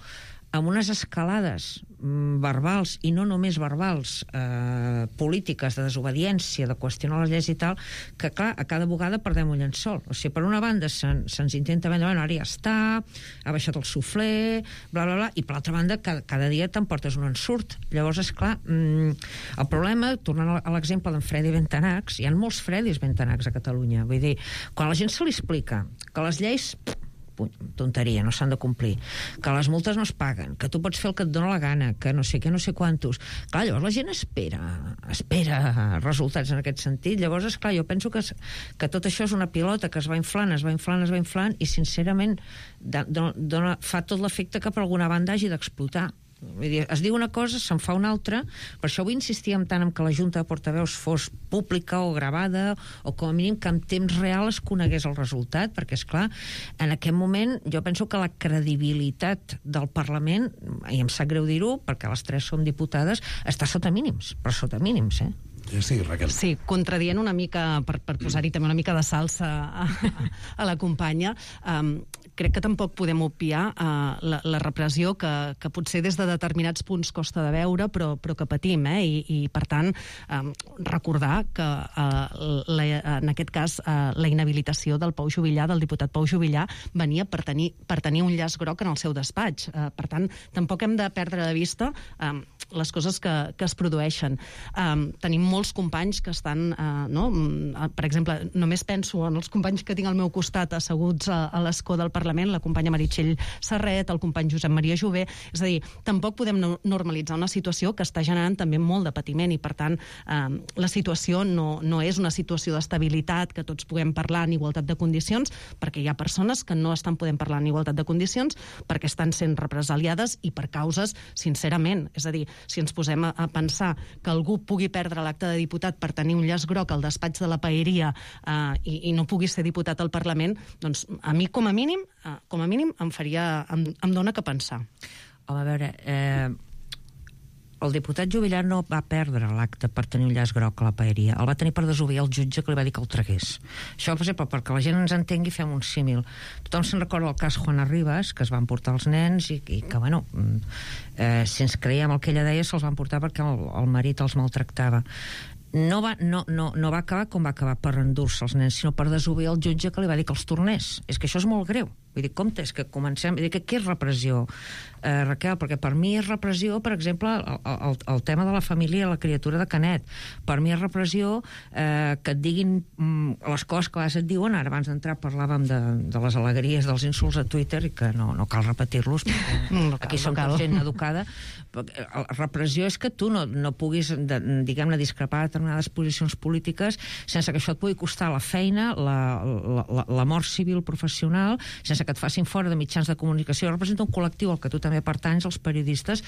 amb unes escalades mm, verbals, i no només verbals, eh, polítiques de desobediència, de qüestionar les lleis i tal, que, clar, a cada vegada perdem un llençol. O sigui, per una banda se'ns se intenta vendre, bueno, ara ja està, ha baixat el suflé, bla, bla, bla, i per l'altra banda, cada, cada dia t'emportes un ensurt. Llavors, esclar, mm, el problema, tornant a l'exemple d'en Fredi Bentanachs, hi ha molts Fredis Bentanachs a Catalunya. Vull dir, quan a la gent se li explica que les lleis tonteria, no s'han de complir, que les multes no es paguen, que tu pots fer el que et dóna la gana, que no sé què, no sé quantos. Clar, llavors la gent espera, espera resultats en aquest sentit. Llavors, esclar, jo penso que, que tot això és una pilota que es va inflant, es va inflant, es va inflant, i sincerament dona, fa tot l'efecte que per alguna banda hagi d'explotar. Vull dir, es diu una cosa, se'n fa una altra. Per això avui insistíem tant en que la Junta de Portaveus fos pública o gravada, o com a mínim que en temps real es conegués el resultat, perquè, és clar, en aquest moment jo penso que la credibilitat del Parlament, i em sap greu dir-ho, perquè les tres som diputades, està sota mínims, però sota mínims, eh? Sí, Raquel. Sí, contradient una mica, per, per posar-hi també una mica de salsa a, a, a la companya, um, crec que tampoc podem obviar uh, la, la repressió que, que potser des de determinats punts costa de veure, però, però que patim, eh? I, i per tant, um, recordar que uh, la, en aquest cas uh, la inhabilitació del Pau Juvillà, del diputat Pau Juvillà, venia per tenir, per tenir un llaç groc en el seu despatx. Uh, per tant, tampoc hem de perdre de vista um, les coses que, que es produeixen. Um, tenim molts companys que estan, uh, no? Per exemple, només penso en els companys que tinc al meu costat asseguts a, a l'escó del Parlament, la companya Meritxell Serret, el company Josep Maria Jové. És a dir, tampoc podem no normalitzar una situació que està generant també molt de patiment, i per tant eh, la situació no, no és una situació d'estabilitat, que tots puguem parlar en igualtat de condicions, perquè hi ha persones que no estan podent parlar en igualtat de condicions perquè estan sent represaliades i per causes, sincerament, és a dir, si ens posem a, a pensar que algú pugui perdre l'acte de diputat per tenir un llaç groc al despatx de la paeria eh, i, i no pugui ser diputat al Parlament, doncs a mi com a mínim com a mínim em faria, em, em dona que pensar. Home, a veure, eh, el diputat Juvillà no va perdre l'acte per tenir un llaç groc a la paeria, el va tenir per desobeir el jutge que li va dir que el tragués. Això, per exemple, perquè la gent ens entengui, fem un símil. Tothom se'n recorda el cas Juana Rivas, que es van portar els nens i, i que, bueno, eh, si ens creiem el que ella deia, se'ls van portar perquè el, el marit els maltractava. No va, no, no, no va acabar com va acabar per endur-se els nens, sinó per desobeir el jutge que li va dir que els tornés. És que això és molt greu. Vull dir, compte, és que comencem... Vull dir, que què és repressió, eh, Raquel? Perquè per mi és repressió, per exemple, el, el, el tema de la família i la criatura de Canet. Per mi és repressió eh, que et diguin mm, les coses que a vegades et diuen. Ara, abans d'entrar, parlàvem de, de les alegries dels insults a Twitter, i que no, no cal repetir-los, perquè no cal, aquí som no cal. Gent educada. La repressió és que tu no, no puguis, de, diguem-ne, discrepar de determinades posicions polítiques sense que això et pugui costar la feina, la, la, la, la mort civil professional, sense que et facin fora de mitjans de comunicació. Representa un col·lectiu al que tu també pertanys, els periodistes,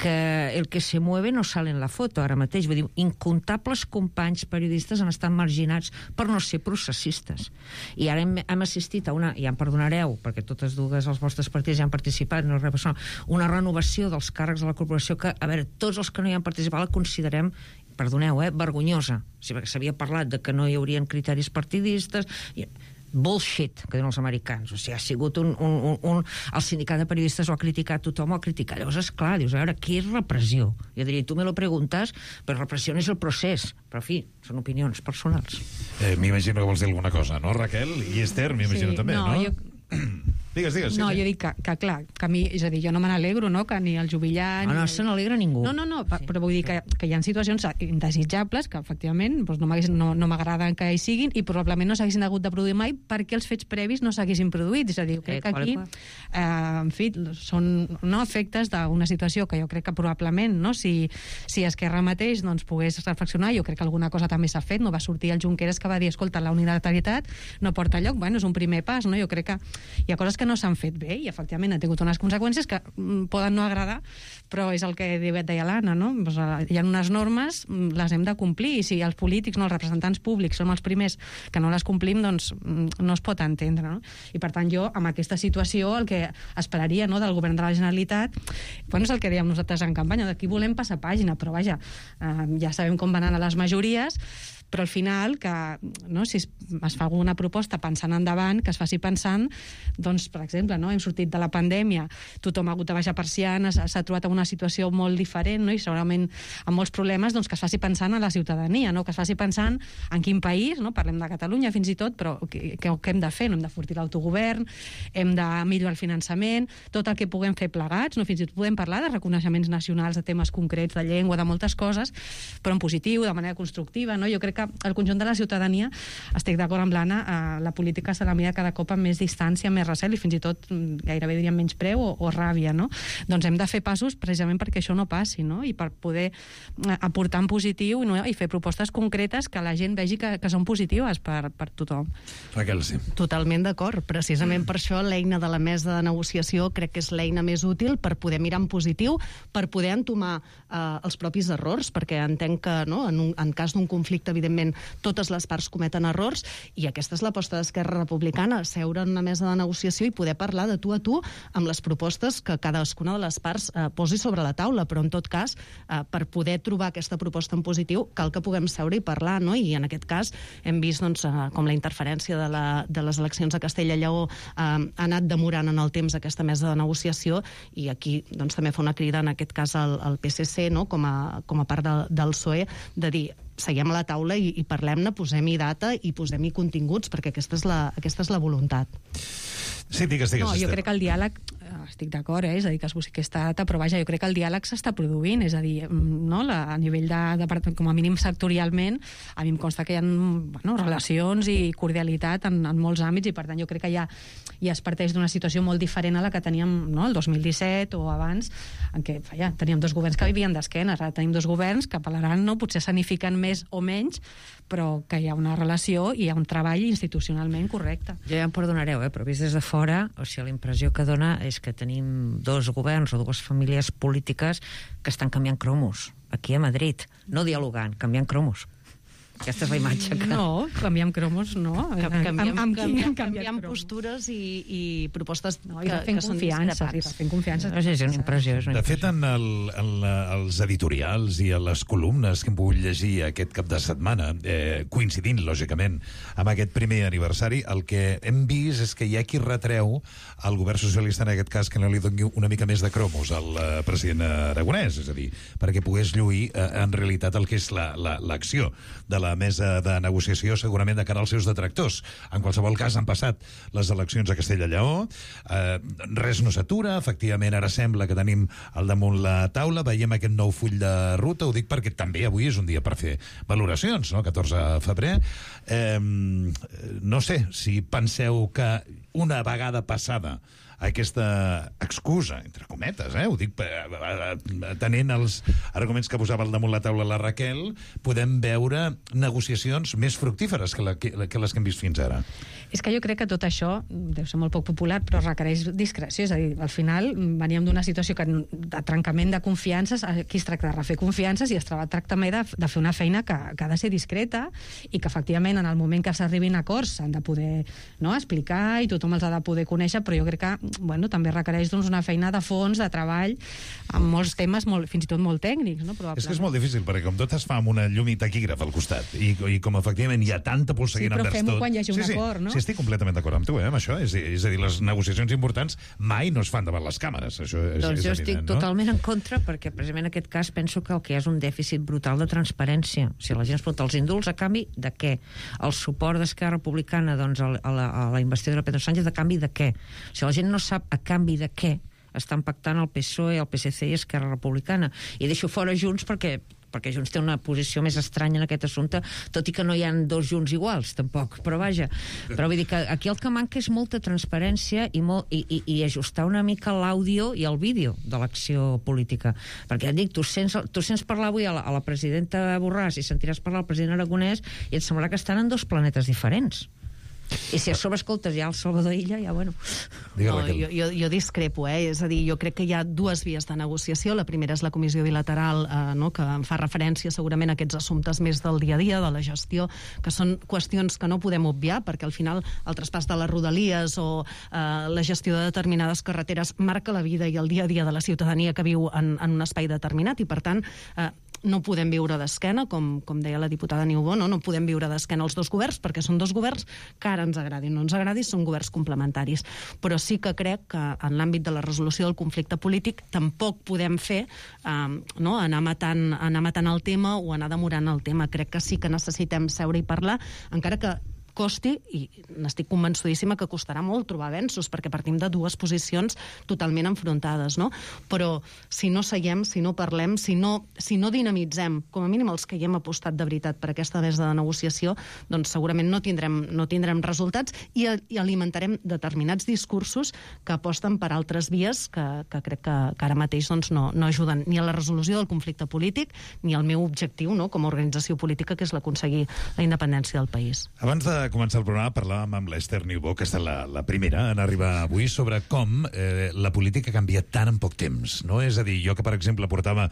que el que se mueve no sale en la foto ara mateix. Vull dir, incomptables companys periodistes han estat marginats per no ser processistes. I ara hem, hem assistit a una, ja em perdonareu, perquè totes dues els vostres partits ja han participat, no res, una renovació dels càrrecs de la corporació que, a veure, tots els que no hi han participat la considerem, perdoneu, eh, vergonyosa. Sí, perquè s'havia parlat de que no hi haurien criteris partidistes... I bullshit, que diuen els americans. O sigui, ha sigut un... un, un, un el sindicat de periodistes ho ha criticat, tothom ho ha criticat. Llavors, esclar, dius, a veure, què és repressió? Jo diria, tu me lo preguntes, però repressió no és el procés. Però, en fi, són opinions personals. Eh, m'imagino que vols dir alguna cosa, no, Raquel? I Esther, m'imagino sí, també, no? no? Jo... Digues, digues. No, sí, jo dic que, que clar, que a mi, és a dir, jo no me n'alegro, no?, que ni el Juvillà... No, ni... no se n'alegra ningú. No, no, no, sí. Però vull dir que, que hi ha situacions indesitjables que, efectivament, doncs no no, no m'agraden que hi siguin i probablement no s'haguessin hagut de produir mai perquè els fets previs no s'haguessin produït. És a dir, crec que aquí, eh, en fi, són no, efectes d'una situació que jo crec que probablement, no?, si, si Esquerra mateix doncs, pogués reflexionar, jo crec que alguna cosa també s'ha fet, no va sortir el Junqueras que va dir, escolta, la unilateralitat no porta lloc, bueno, és un primer pas, no? Jo crec que hi ha coses que no s'han fet bé i efectivament ha tingut unes conseqüències que mm, poden no agradar, però és el que deia l'Anna, no? Pues, hi ha unes normes, les hem de complir, i si els polítics, no, els representants públics som els primers que no les complim, doncs no es pot entendre, no? I per tant jo, amb aquesta situació, el que esperaria, no, del govern de la Generalitat, bueno, és el que dèiem nosaltres en campanya, d'aquí volem passar pàgina, però vaja, eh, ja sabem com van anar les majories, però al final, que, no, si es, es fa alguna proposta pensant endavant, que es faci pensant, doncs, per exemple, no, hem sortit de la pandèmia, tothom ha hagut de baixar persianes, s'ha trobat en una situació molt diferent, no, i segurament amb molts problemes, doncs que es faci pensant en la ciutadania, no, que es faci pensant en quin país, no, parlem de Catalunya fins i tot, però què, què hem de fer? No, hem de fortir l'autogovern, hem de millorar el finançament, tot el que puguem fer plegats, no, fins i tot podem parlar de reconeixements nacionals, de temes concrets, de llengua, de moltes coses, però en positiu, de manera constructiva, no? Jo crec crec que el conjunt de la ciutadania, estic d'acord amb l'Anna, eh, la política se la mira cada cop amb més distància, amb més recel i fins i tot gairebé diríem menys preu o, o ràbia, no? Doncs hem de fer passos precisament perquè això no passi, no? I per poder aportar en positiu no? i fer propostes concretes que la gent vegi que, que són positives per, per tothom. Raquel, sí. Totalment d'acord. Precisament per això l'eina de la mesa de negociació crec que és l'eina més útil per poder mirar en positiu, per poder entomar eh, els propis errors, perquè entenc que no, en, un, en cas d'un conflicte, evidentment, totes les parts cometen errors, i aquesta és l'aposta d'Esquerra Republicana, seure en una mesa de negociació i poder parlar de tu a tu amb les propostes que cadascuna de les parts eh, posi sobre la taula, però en tot cas, eh, per poder trobar aquesta proposta en positiu, cal que puguem seure i parlar, no? I en aquest cas hem vist doncs, eh, com la interferència de, la, de les eleccions a Castella i Lleó eh, ha anat demorant en el temps aquesta mesa de negociació, i aquí doncs, també fa una crida, en aquest cas, al, al P S C, no? com, a, com a part de, del P S O E, de dir seguem a la taula i, i parlem-ne, posem-hi data i posem-hi continguts, perquè aquesta és la, aquesta és la voluntat. Sí, digues, digues. No, jo crec que el diàleg, estic d'acord, eh? És a dir, que es busqui aquesta data, però vaja, jo crec que el diàleg s'està produint, és a dir, no? La, a nivell de, de, com a mínim sectorialment, a mi em consta que hi ha bueno, relacions i cordialitat en, en molts àmbits, i per tant jo crec que ja, ja es parteix d'una situació molt diferent a la que teníem no? el dos mil disset o abans, en què ja, teníem dos governs que vivien d'esquena, ara tenim dos governs que apel·laran, no? Potser s'anifiquen més o menys, però que hi ha una relació i hi ha un treball institucionalment correcte. Jo ja em perdonareu, eh? Però vist des de fora, o sigui, la impressió que dona és que tenim dos governs o dues famílies polítiques que estan canviant cromos aquí a Madrid, no dialogant, canviant cromos. Aquesta és la imatge que... No, canviem cromos, no. Canviem, amb, amb canviem, canviem postures i, i propostes no, que, i fent que són confiança, i fent confiança. No sé, és una impressió. És una de fet, en, el, en la, els editorials i a les columnes que hem pogut llegir aquest cap de setmana, eh, coincidint, lògicament, amb aquest primer aniversari, el que hem vist és que hi ha qui retreu al govern socialista, en aquest cas, que no li doni una mica més de cromos al uh, president Aragonès, és a dir, perquè pogués lluir uh, en realitat el que és l'acció de la la mesa de negociació, segurament de cara als seus detractors. En qualsevol cas, han passat les eleccions a Castella i Lleó, eh, res no s'atura, efectivament ara sembla que tenim al damunt la taula, veiem aquest nou full de ruta, ho dic perquè també avui és un dia per fer valoracions, no? catorze de febrer. Eh, no sé si penseu que una vegada passada aquesta excusa, entre cometes, eh? ho dic tenint els arguments que posava al damunt la taula la Raquel, podem veure negociacions més fructíferes que, la, que, que les que hem vist fins ara. És que jo crec que tot això deu ser molt poc popular, però requereix discreció. És a dir, al final veníem d'una situació que, de trencament de confiances, aquí es tracta de refer confiances i es tracta també de, de fer una feina que, que ha de ser discreta i que efectivament en el moment que s'arribin a acords s'han de poder no, explicar i tothom els ha de poder conèixer, però jo crec que bueno, també requereix doncs, una feina de fons, de treball, amb molts temes molt, fins i tot molt tècnics. No? Probablement. És que és molt difícil, perquè com tot es fa amb una llum i taquígraf al costat, i, i com efectivament hi ha tanta polseguina sí, envers tot... Sí, però fem-ho quan hi hagi un sí, sí, acord, no? Sí, estic completament d'acord amb tu, eh, amb això. És, és a dir, les negociacions importants mai no es fan davant les càmeres. Això és, doncs és jo evident, estic no? totalment en contra, perquè precisament en aquest cas penso que el que hi ha és un dèficit brutal de transparència. Si la gent es pregunta els indults a canvi de què? El suport d'Esquerra Republicana doncs, a, la, a la investidura de Pedro Sánchez a canvi de què? Si la gent no sap a canvi de què estan pactant el P S O E, el P S C i Esquerra Republicana. I deixo fora Junts perquè perquè Junts té una posició més estranya en aquest assumpte, tot i que no hi ha dos Junts iguals, tampoc, però vaja. Però vull dir que aquí el que manca és molta transparència i, molt, i, i, i ajustar una mica l'àudio i el vídeo de l'acció política. Perquè et dic, tu sents, tu sents parlar avui a la, a la presidenta Borràs i sentiràs parlar al president Aragonès i et semblarà que estan en dos planetes diferents. I si a sobre escoltes ja el Salvador Illa, ja bueno... No, jo, jo, jo discrepo, eh? És a dir, jo crec que hi ha dues vies de negociació. La primera és la comissió bilateral, eh, no? que fa referència segurament a aquests assumptes més del dia a dia, de la gestió, que són qüestions que no podem obviar, perquè al final el traspàs de les rodalies o eh, la gestió de determinades carreteres marca la vida i el dia a dia de la ciutadania que viu en, en un espai determinat, i per tant... Eh, no podem viure d'esquena, com, com deia la diputada Niubó, no? no podem viure d'esquena els dos governs, perquè són dos governs que ara ens agradin o no ens agradin, són governs complementaris. Però sí que crec que en l'àmbit de la resolució del conflicte polític tampoc podem fer eh, no? anar, matant, anar matant el tema o anar demorant el tema. Crec que sí que necessitem seure i parlar, encara que costi, i n'estic convençudíssima que costarà molt trobar avenços, perquè partim de dues posicions totalment enfrontades, no? Però si no seiem, si no parlem, si no, si no dinamitzem, com a mínim els que hi hem apostat de veritat per aquesta mesa de negociació, doncs segurament no tindrem, no tindrem resultats i, i alimentarem determinats discursos que aposten per altres vies que, que crec que, que ara mateix doncs, no, no ajuden ni a la resolució del conflicte polític ni al meu objectiu, no?, com a organització política, que és l'aconseguir la independència del país. Abans de començar el programa parlàvem amb l'Esther Niubó, que està la, la primera en arribar avui, sobre com eh, la política canvia tant en poc temps, no? És a dir, jo que, per exemple, portava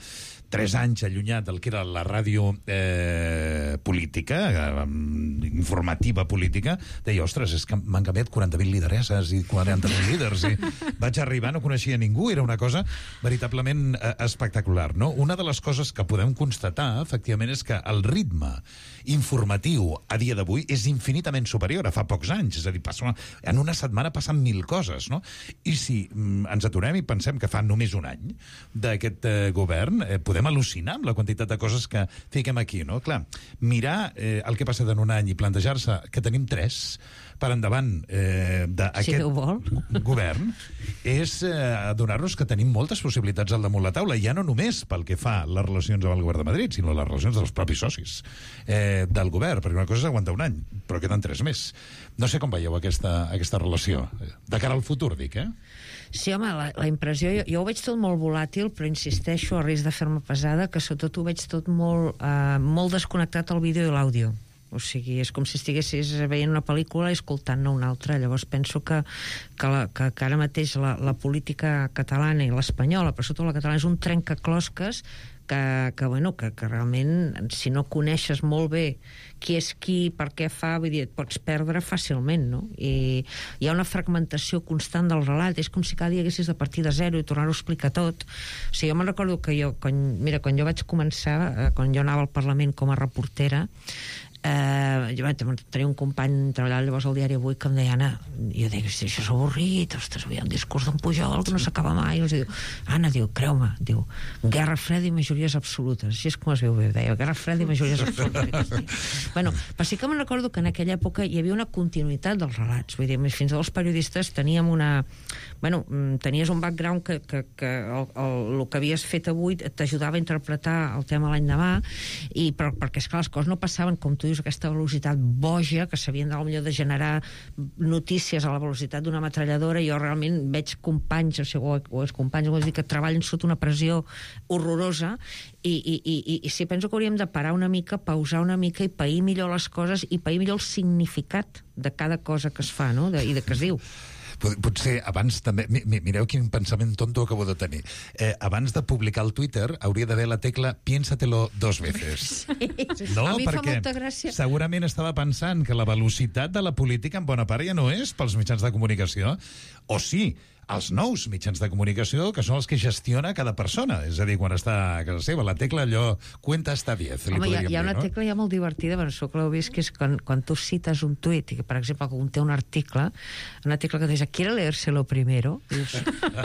tres anys allunyat del que era la ràdio eh, política, eh, informativa política, deia, ostres, és que m'han canviat quaranta mil lideresses i quaranta mil líders, i vaig arribar, no coneixia ningú, era una cosa veritablement eh, espectacular, no? Una de les coses que podem constatar, efectivament, és que el ritme informatiu a dia d'avui és infinitament superior a fa pocs anys, és a dir, passa, en una setmana passen mil coses, no? I si mm, ens aturem i pensem que fa només un any d'aquest eh, govern, eh, podem al·lucinar amb la quantitat de coses que fiquem aquí, no? Clar, mirar eh, el que ha passat en un any i plantejar-se que tenim tres per endavant eh, d'aquest si govern és eh, donar-nos que tenim moltes possibilitats al damunt la taula, ja no només pel que fa les relacions amb el govern de Madrid, sinó les relacions dels propis socis eh, del govern, perquè una cosa és aguantar un any, però queden tres més. No sé com veieu aquesta, aquesta relació. De cara al futur, dic, eh? Sí, home, la, la impressió... Jo, jo ho veig tot molt volàtil, però insisteixo, a risc de fer-me pesada, que sobretot ho veig tot molt, eh, molt desconnectat al vídeo i l'àudio. O sigui, és com si estiguessis veient una pel·lícula i escoltant-ne una altra. Llavors penso que, que, la, que, que ara mateix la, la política catalana i l'espanyola, però sobretot la catalana, és un trencaclosques que, que, bueno, que, que realment, si no coneixes molt bé qui és qui, per què fa, vull dir, et pots perdre fàcilment, no? I hi ha una fragmentació constant del relat, és com si cada dia haguessis de partir de zero i tornar-ho a explicar tot. O sigui, jo me'n recordo que jo, quan, mira, quan jo vaig començar, eh, quan jo anava al Parlament com a reportera, Uh, jo vaig tenir un company treballant llavors al diari Avui que em deia, Anna, jo dic, això és avorrit, ostres, hi ha un discurs d'en Pujol que no s'acaba mai, i diu, Anna, diu, creu-me, diu, guerra freda i majories absolutes, així és com es veu bé, deia, guerra freda i majories absolutes. Bueno, però sí que me'n recordo que en aquella època hi havia una continuïtat dels relats, vull dir, fins als periodistes teníem una... Bueno, tenies un background que, que, que el, el, el que havies fet avui t'ajudava a interpretar el tema l'any demà, i, però, perquè esclar, les coses no passaven, com tu dius, aquesta velocitat boja, que s'havien de, potser de generar notícies a la velocitat d'una metralladora. Jo realment veig companys, o, sigui, o els companys dir, que treballen sota una pressió horrorosa, i, i, i, i sí, penso que hauríem de parar una mica, pausar una mica i pair millor les coses i pair millor el significat de cada cosa que es fa, no?, de, i de que es diu. Potser abans també... Mireu quin pensament tonto acabo de tenir. Eh, abans de publicar el Twitter hauria d'haver la tecla piénsatelo dos veces. Sí. No, a mi perquè fa molta gràcia. Segurament estava pensant que la velocitat de la política en bona part ja no és pels mitjans de comunicació. O sí, els nous mitjans de comunicació, que són els que gestiona cada persona. És a dir, quan està a casa seva, la tecla allò cuenta hasta diez. Home, hi ha, hi ha una dir, no? tecla ja molt divertida, però això que l'heu vist, que és quan, quan tu cites un tuit, i que, per exemple, conté un article, una tecla que dius, ¿quiere leérselo primero? Dius,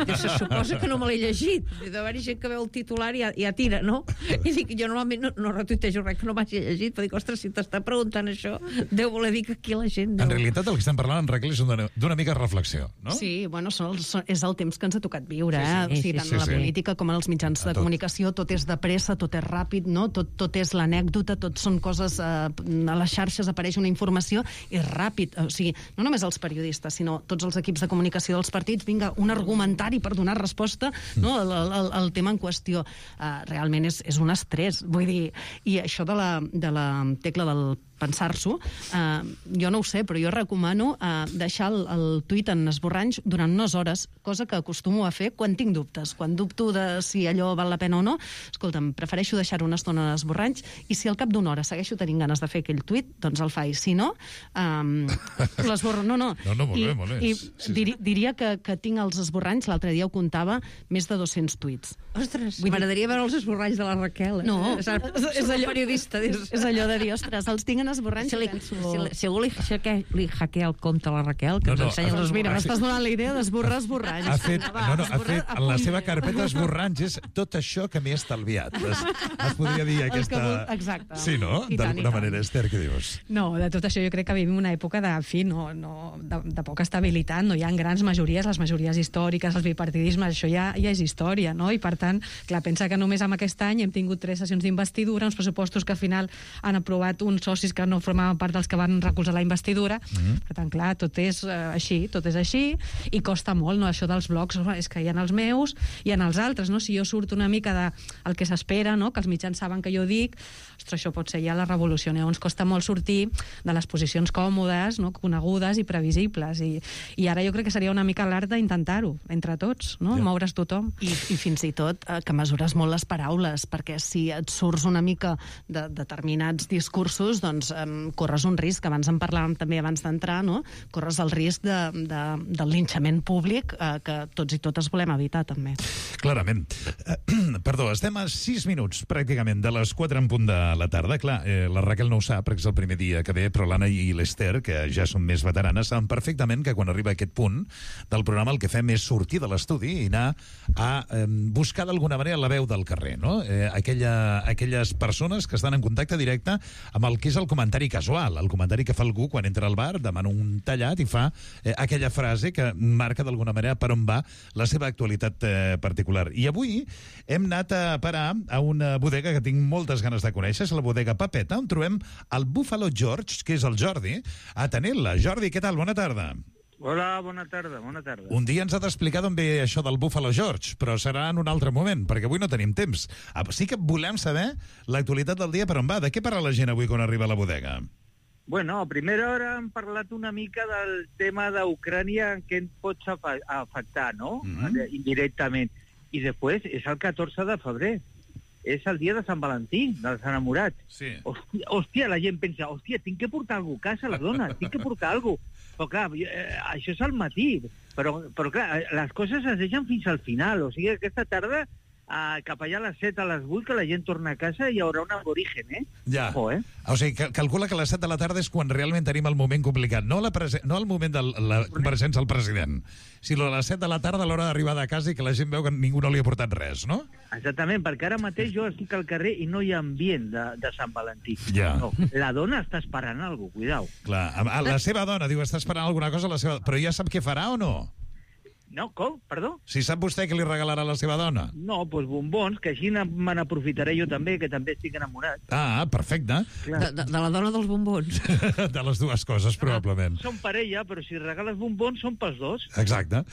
dius, se suposa que no me l'he llegit. Deu haver-hi gent que veu el titular i ja, ja tira, no? I dic, jo normalment no, no retuitejo res que no m'hagi llegit, però dic, ostres, si t'està preguntant això, deu voler dir que aquí la gent... Deu... En realitat, el que estem parlant, en regla, és d'una mica reflexió, no? Sí, bueno, són els, és el temps que ens ha tocat viure, eh? Sí, sí. O sigui, tant sí, sí, en la sí. política com en els mitjans de comunicació, tot és de pressa, tot és ràpid, no? Tot, tot és l'anècdota, tot són coses... Eh, a les xarxes apareix una informació i és ràpid. O sigui, no només els periodistes, sinó tots els equips de comunicació dels partits, vinga, un argumentari per donar resposta, no?, al, al, al tema en qüestió. Eh, realment és, és un estrès, vull dir, i això de la, de la tecla del pensar-s'ho, eh, jo no ho sé, però jo recomano eh, deixar el, el tuit en esborranys durant unes hores, cosa que acostumo a fer quan tinc dubtes. Quan dubto de si allò val la pena o no, escolta'm, prefereixo deixar-ho una estona en esborranys, i si al cap d'una hora segueixo tenint ganes de fer aquell tuit, doncs el faig. Si no, eh, l'esborro. No, no. No, no, molt I, bé, molt bé. I sí, sí. dir, diria que, que tinc els esborranys, l'altre dia ho comptava, més de dos-cents tuits. Ostres, m'agradaria veure els esborranys de la Raquel. Eh? No, és, és, és allò periodista. És, és allò de dir, ostres, els tinc en esborrant, si li, penso... si, si algú li, li hackea el compte a la Raquel, que No, ens no, ensenya Doncs els mira, esborranys. m'estàs donant la idea d'esborrar esborranys. Ha fet, Va, no, no, ha esborrar fet a en la punt. seva carpeta esborranys és tot això que m'he estalviat. Es, es podria dir El que aquesta... vol- exacte. Sí, no? I tant, i D'alguna tant. manera, Esther, què dius? No, de tot això jo crec que vivim una època de, en fi, no, no, de, de poca estabilitat, no hi ha grans majories, les majories històriques, els bipartidismes, això ja, ja és història, no? I per tant, clar, pensa que només amb aquest any hem tingut tres sessions d'investidura, uns pressupostos que al final han aprovat uns socis que no formaven part dels que van recolzar la investidura. Mm-hmm. Per tant, clar, tot és eh, així, tot és així, i costa molt, no? Això dels blocs, és que hi ha els meus i en els altres, no? Si jo surto una mica de el que s'espera, no? Que els mitjans saben que jo dic, ostres, això pot ser ja la revolució. Llavors costa molt sortir de les posicions còmodes, no? Conegudes i previsibles. I, i ara jo crec que seria una mica l'art d'intentar-ho, entre tots, no? Ja. Moure's tothom. I, I fins i tot eh, que mesures molt les paraules, perquè si et surts una mica de determinats discursos, doncs eh, corres un risc, abans en parlàvem també abans d'entrar, no? Corres el risc de, de, del linxament públic eh, que tots i totes volem evitar, també. Clarament. Eh, perdó, estem a sis minuts, pràcticament, de les quatre en punt de la tarda. Clar, eh, la Raquel no ho sap, perquè és el primer dia que ve, però l'Anna i l'Esther, que ja són més veteranes, saben perfectament que quan arriba aquest punt del programa el que fem és sortir de l'estudi i anar a eh, buscar d'alguna manera la veu del carrer, no? Eh, aquella, aquelles persones que estan en contacte directe amb el que és el comentari casual, el comentari que fa algú quan entra al bar, demana un tallat i fa eh, aquella frase que marca d'alguna manera per on va la seva actualitat eh, particular. I avui hem anat a parar a una bodega que tinc moltes ganes de conèixer, és la bodega Papeta, on trobem el Buffalo George, que és el Jordi, atenent-la. Jordi, què tal? Bona tarda. Hola, bona tarda, bona tarda. Un dia ens ha d'explicar d'on ve això del Buffalo George, però serà en un altre moment, perquè avui no tenim temps. Ah, sí que volem saber l'actualitat del dia per on va. De què parla la gent avui quan arriba a la bodega? Bueno, a primera hora hem parlat una mica del tema d'Ucrània en què ens pots afectar, no? Mm-hmm. Indirectament. I després és el catorze de febrer. És el dia de Sant Valentí, dels enamorats. Sí. Hòstia, hòstia, la gent pensa, hòstia, tinc que portar alguna cosa a casa, les dones, tinc que portar alguna cosa. Però clar, eh, això és al matí. Però, però clar, les coses es deixen fins al final. O sigui, aquesta tarda, eh, cap allà a les set, a les vuit, que la gent torna a casa i hi haurà un aborigen, eh? Ja. Oh, eh? O sigui, cal calcula que a les set de la tarda és quan realment tenim el moment complicat. No, la no el moment de la compareixença al president, sinó a les set de la tarda a l'hora d'arribar de casa i que la gent veu que ningú no li ha portat res, no? Exactament, perquè ara mateix jo estic al carrer i no hi ha ambient de, de Sant Valentí. Ja. No, la dona està esperant alguna cosa, cuidao. Clar, la seva dona, diu, està esperant alguna cosa, la seva... però ja sap què farà o no? No, com? Perdó? Si sap vostè què li regalarà a la seva dona? No, doncs bombons, que així me n'aprofitaré jo també, que també estic enamorat. Ah, perfecte. De, de, de la dona dels bombons. De les dues coses, probablement. Són parella, però si regales bombons són pels dos. Exacte.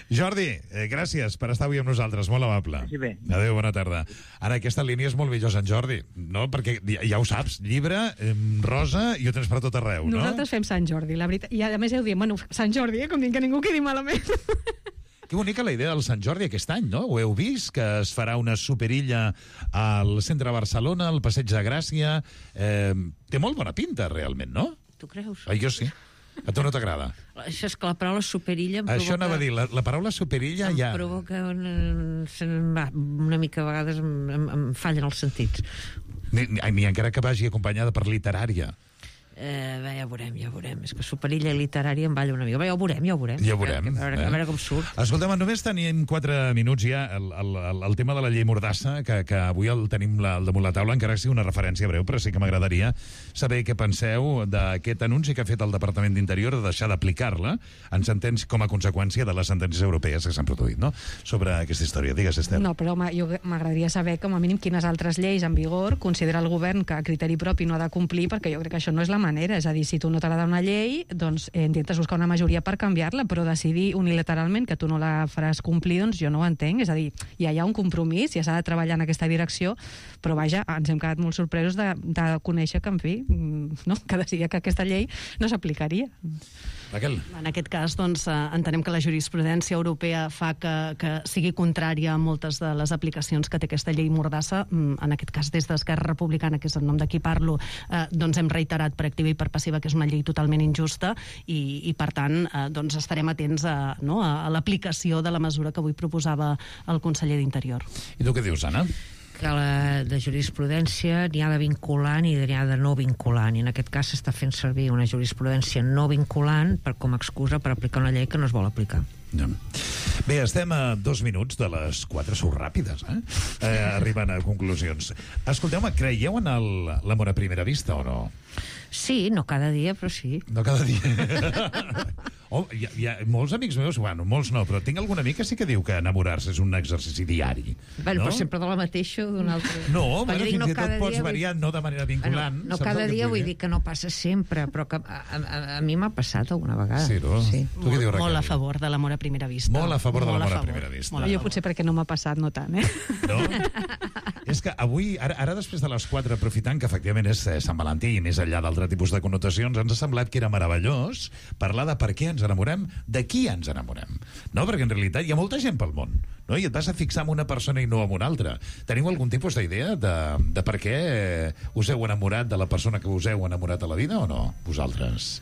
Jordi, eh, gràcies per estar avui amb nosaltres, molt amable. Sí, bé. Adéu, bona tarda. Ara, aquesta línia és molt millor, Sant Jordi, no? Perquè ja, ja ho saps, llibre, eh, rosa, i ho tens per tot arreu, no? Nosaltres fem Sant Jordi, la veritat. I a més heu dit, bueno, Sant Jordi, eh? Com dic que ningú quedi malament. Que bonica la idea del Sant Jordi aquest any, no? Ho heu vist, que es farà una superilla al centre de Barcelona, al Passeig de Gràcia. Eh, té molt bona pinta, realment, no? Tu creus? Ah, jo sí. A tu no t'agrada? Això és que la paraula superilla em provoca... Això anava a dir, la, la paraula superilla em ja... Em provoca una, una mica, a vegades em, em, em fallen els sentits. Ni, ni, ni encara que vagi acompanyada per literària. Eh, bé, ja ho veurem, ja ho veurem. És que superilla literària em balla una mica. Bé, ja ho veurem, ja ho veurem. Ja ho veurem. A veure, eh? a veure com surt. Escolta'm, només tenim quatre minuts ja. El, el, el, el tema de la llei Mordassa, que, que avui el tenim la, el damunt la taula, encara que sigui una referència breu, però sí que m'agradaria saber què penseu d'aquest anunci que ha fet el Departament d'Interior de deixar d'aplicar-la en sentències com a conseqüència de les sentències europees que s'han produït, no? Sobre aquesta història. Digues, Esther. No, però home, jo m'agradaria saber com a mínim quines altres lleis en vigor considera el govern que a criteri propi no ha de complir, perquè jo crec que això no és la manera. És a dir, si tu no t'agrada una llei, doncs eh, intentes buscar una majoria per canviar-la, però decidir unilateralment que tu no la faràs complir, doncs jo no ho entenc. És a dir, ja hi ha un compromís, ja s'ha de treballar en aquesta direcció, però vaja, ens hem quedat molt sorpresos de, de conèixer que, en fi, no, que decidia que aquesta llei no s'aplicaria. Raquel. En aquest cas, doncs, eh, entenem que la jurisprudència europea fa que, que sigui contrària a moltes de les aplicacions que té aquesta llei Mordassa. En aquest cas, des d'Esquerra Republicana, que és el nom de qui parlo, eh, doncs hem reiterat per activa i per passiva que és una llei totalment injusta i, i per tant, eh, doncs estarem atents a, no, a l'aplicació de la mesura que avui proposava el conseller d'Interior. I tu què dius, Anna? que la de jurisprudència n'hi ha de vinculant i n'hi ha de no vinculant, i en aquest cas s'està fent servir una jurisprudència no vinculant per, com a excusa per aplicar una llei que no es vol aplicar. Ja. Bé, estem a dos minuts de les quatre, sou ràpides, eh? eh arribant a conclusions. Escolteu-me, creieu en el, l'amor a primera vista o no? Sí, no cada dia, però sí. No cada dia. Oh, hi, ha, hi ha molts amics meus, bueno, molts no, però tinc algun amic que sí que diu que enamorar-se és un exercici diari. Bueno, no? però sempre de la mateixa o d'una altra... No, bueno, dic, fins no i tot pots dia, variar, vull... no de manera vinculant. Bueno, no cada dia vull dir que no passa sempre, però que a, a, a mi m'ha passat alguna vegada. Sí, no? Sí. Tu què dius, Raquel? Molt a favor de l'amor a primera vista. Molt a favor de Molt l'amor a, a primera vista. Jo potser perquè no m'ha passat, no tant, eh? No? És que avui, ara, ara després de les quatre, aprofitant que efectivament és Sant Valentí i més enllà d'altre tipus de connotacions, ens ha semblat que era meravellós parlar de per què ens enamorem, de qui ens enamorem. No? Perquè en realitat hi ha molta gent pel món, no? I et vas a fixar en una persona i no en una altra. Teniu algun tipus d'idea de, de per què us heu enamorat de la persona que us heu enamorat a la vida o no? Vosaltres?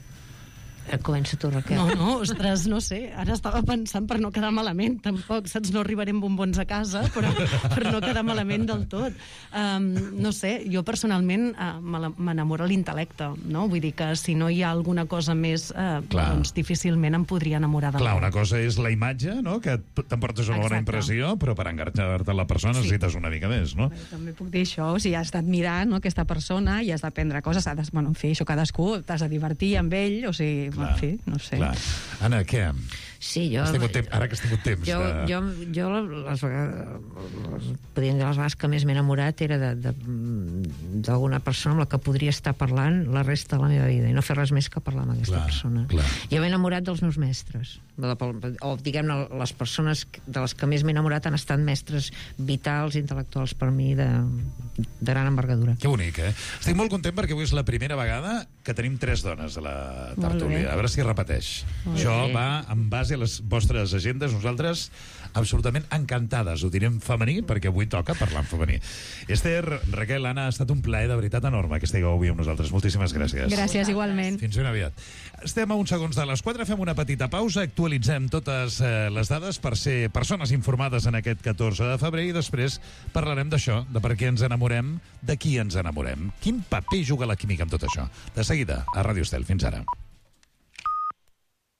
Comença tu, Raquel. No, no, ostres, no sé. Ara estava pensant per no quedar malament, tampoc, saps? No arribarem bombons a casa, però per no quedar malament del tot. Um, no sé, jo personalment uh, m'enamora l'intel·lecte, no? Vull dir que si no hi ha alguna cosa més, uh, doncs difícilment em podria enamorar de Clar, l'altre. una cosa és la imatge, no? Que t'emportes una bona impressió, però per enganxar-te a la persona Sí. necessites una mica més, no? També puc dir això, o sigui, has d'admirar, no, aquesta persona i has d'aprendre coses, has de, bueno, en fi, això cadascú, t'has de divertir amb ell, o sigui, Clar, en fi, no sé. Clar. Anna, què? Sí, jo... Has tingut temps, ara que has tingut temps. Jo, de... jo, jo les vegades, podríem dir les vegades que més m'he enamorat era d'alguna persona amb la que podria estar parlant la resta de la meva vida i no fer res més que parlar amb aquesta Clar, persona. clar. Jo m'he enamorat dels meus mestres, o diguem-ne, les persones de les que més m'he enamorat han estat mestres vitals, intel·lectuals per mi de, de gran envergadura. Que bonic, eh? Estic molt content perquè avui és la primera vegada que tenim tres dones a la tertúlia. A veure si es repeteix. Molt Això bé. va en base a les vostres agendes. Nosaltres absolutament encantades. Ho direm femení perquè avui toca parlar en femení. Esther, Raquel, Anna, ha estat un plaer de veritat enorme que estigueu avui amb nosaltres. Moltíssimes gràcies. Gràcies, igualment. Fins ben aviat. Estem a uns segons de les quatre, fem una petita pausa, actualitzem totes eh, les dades per ser persones informades en aquest catorze de febrer i després parlarem d'això, de per què ens enamorem, de qui ens enamorem. Quin paper juga la química en tot això? De seguida, a Ràdio Estel. Fins ara.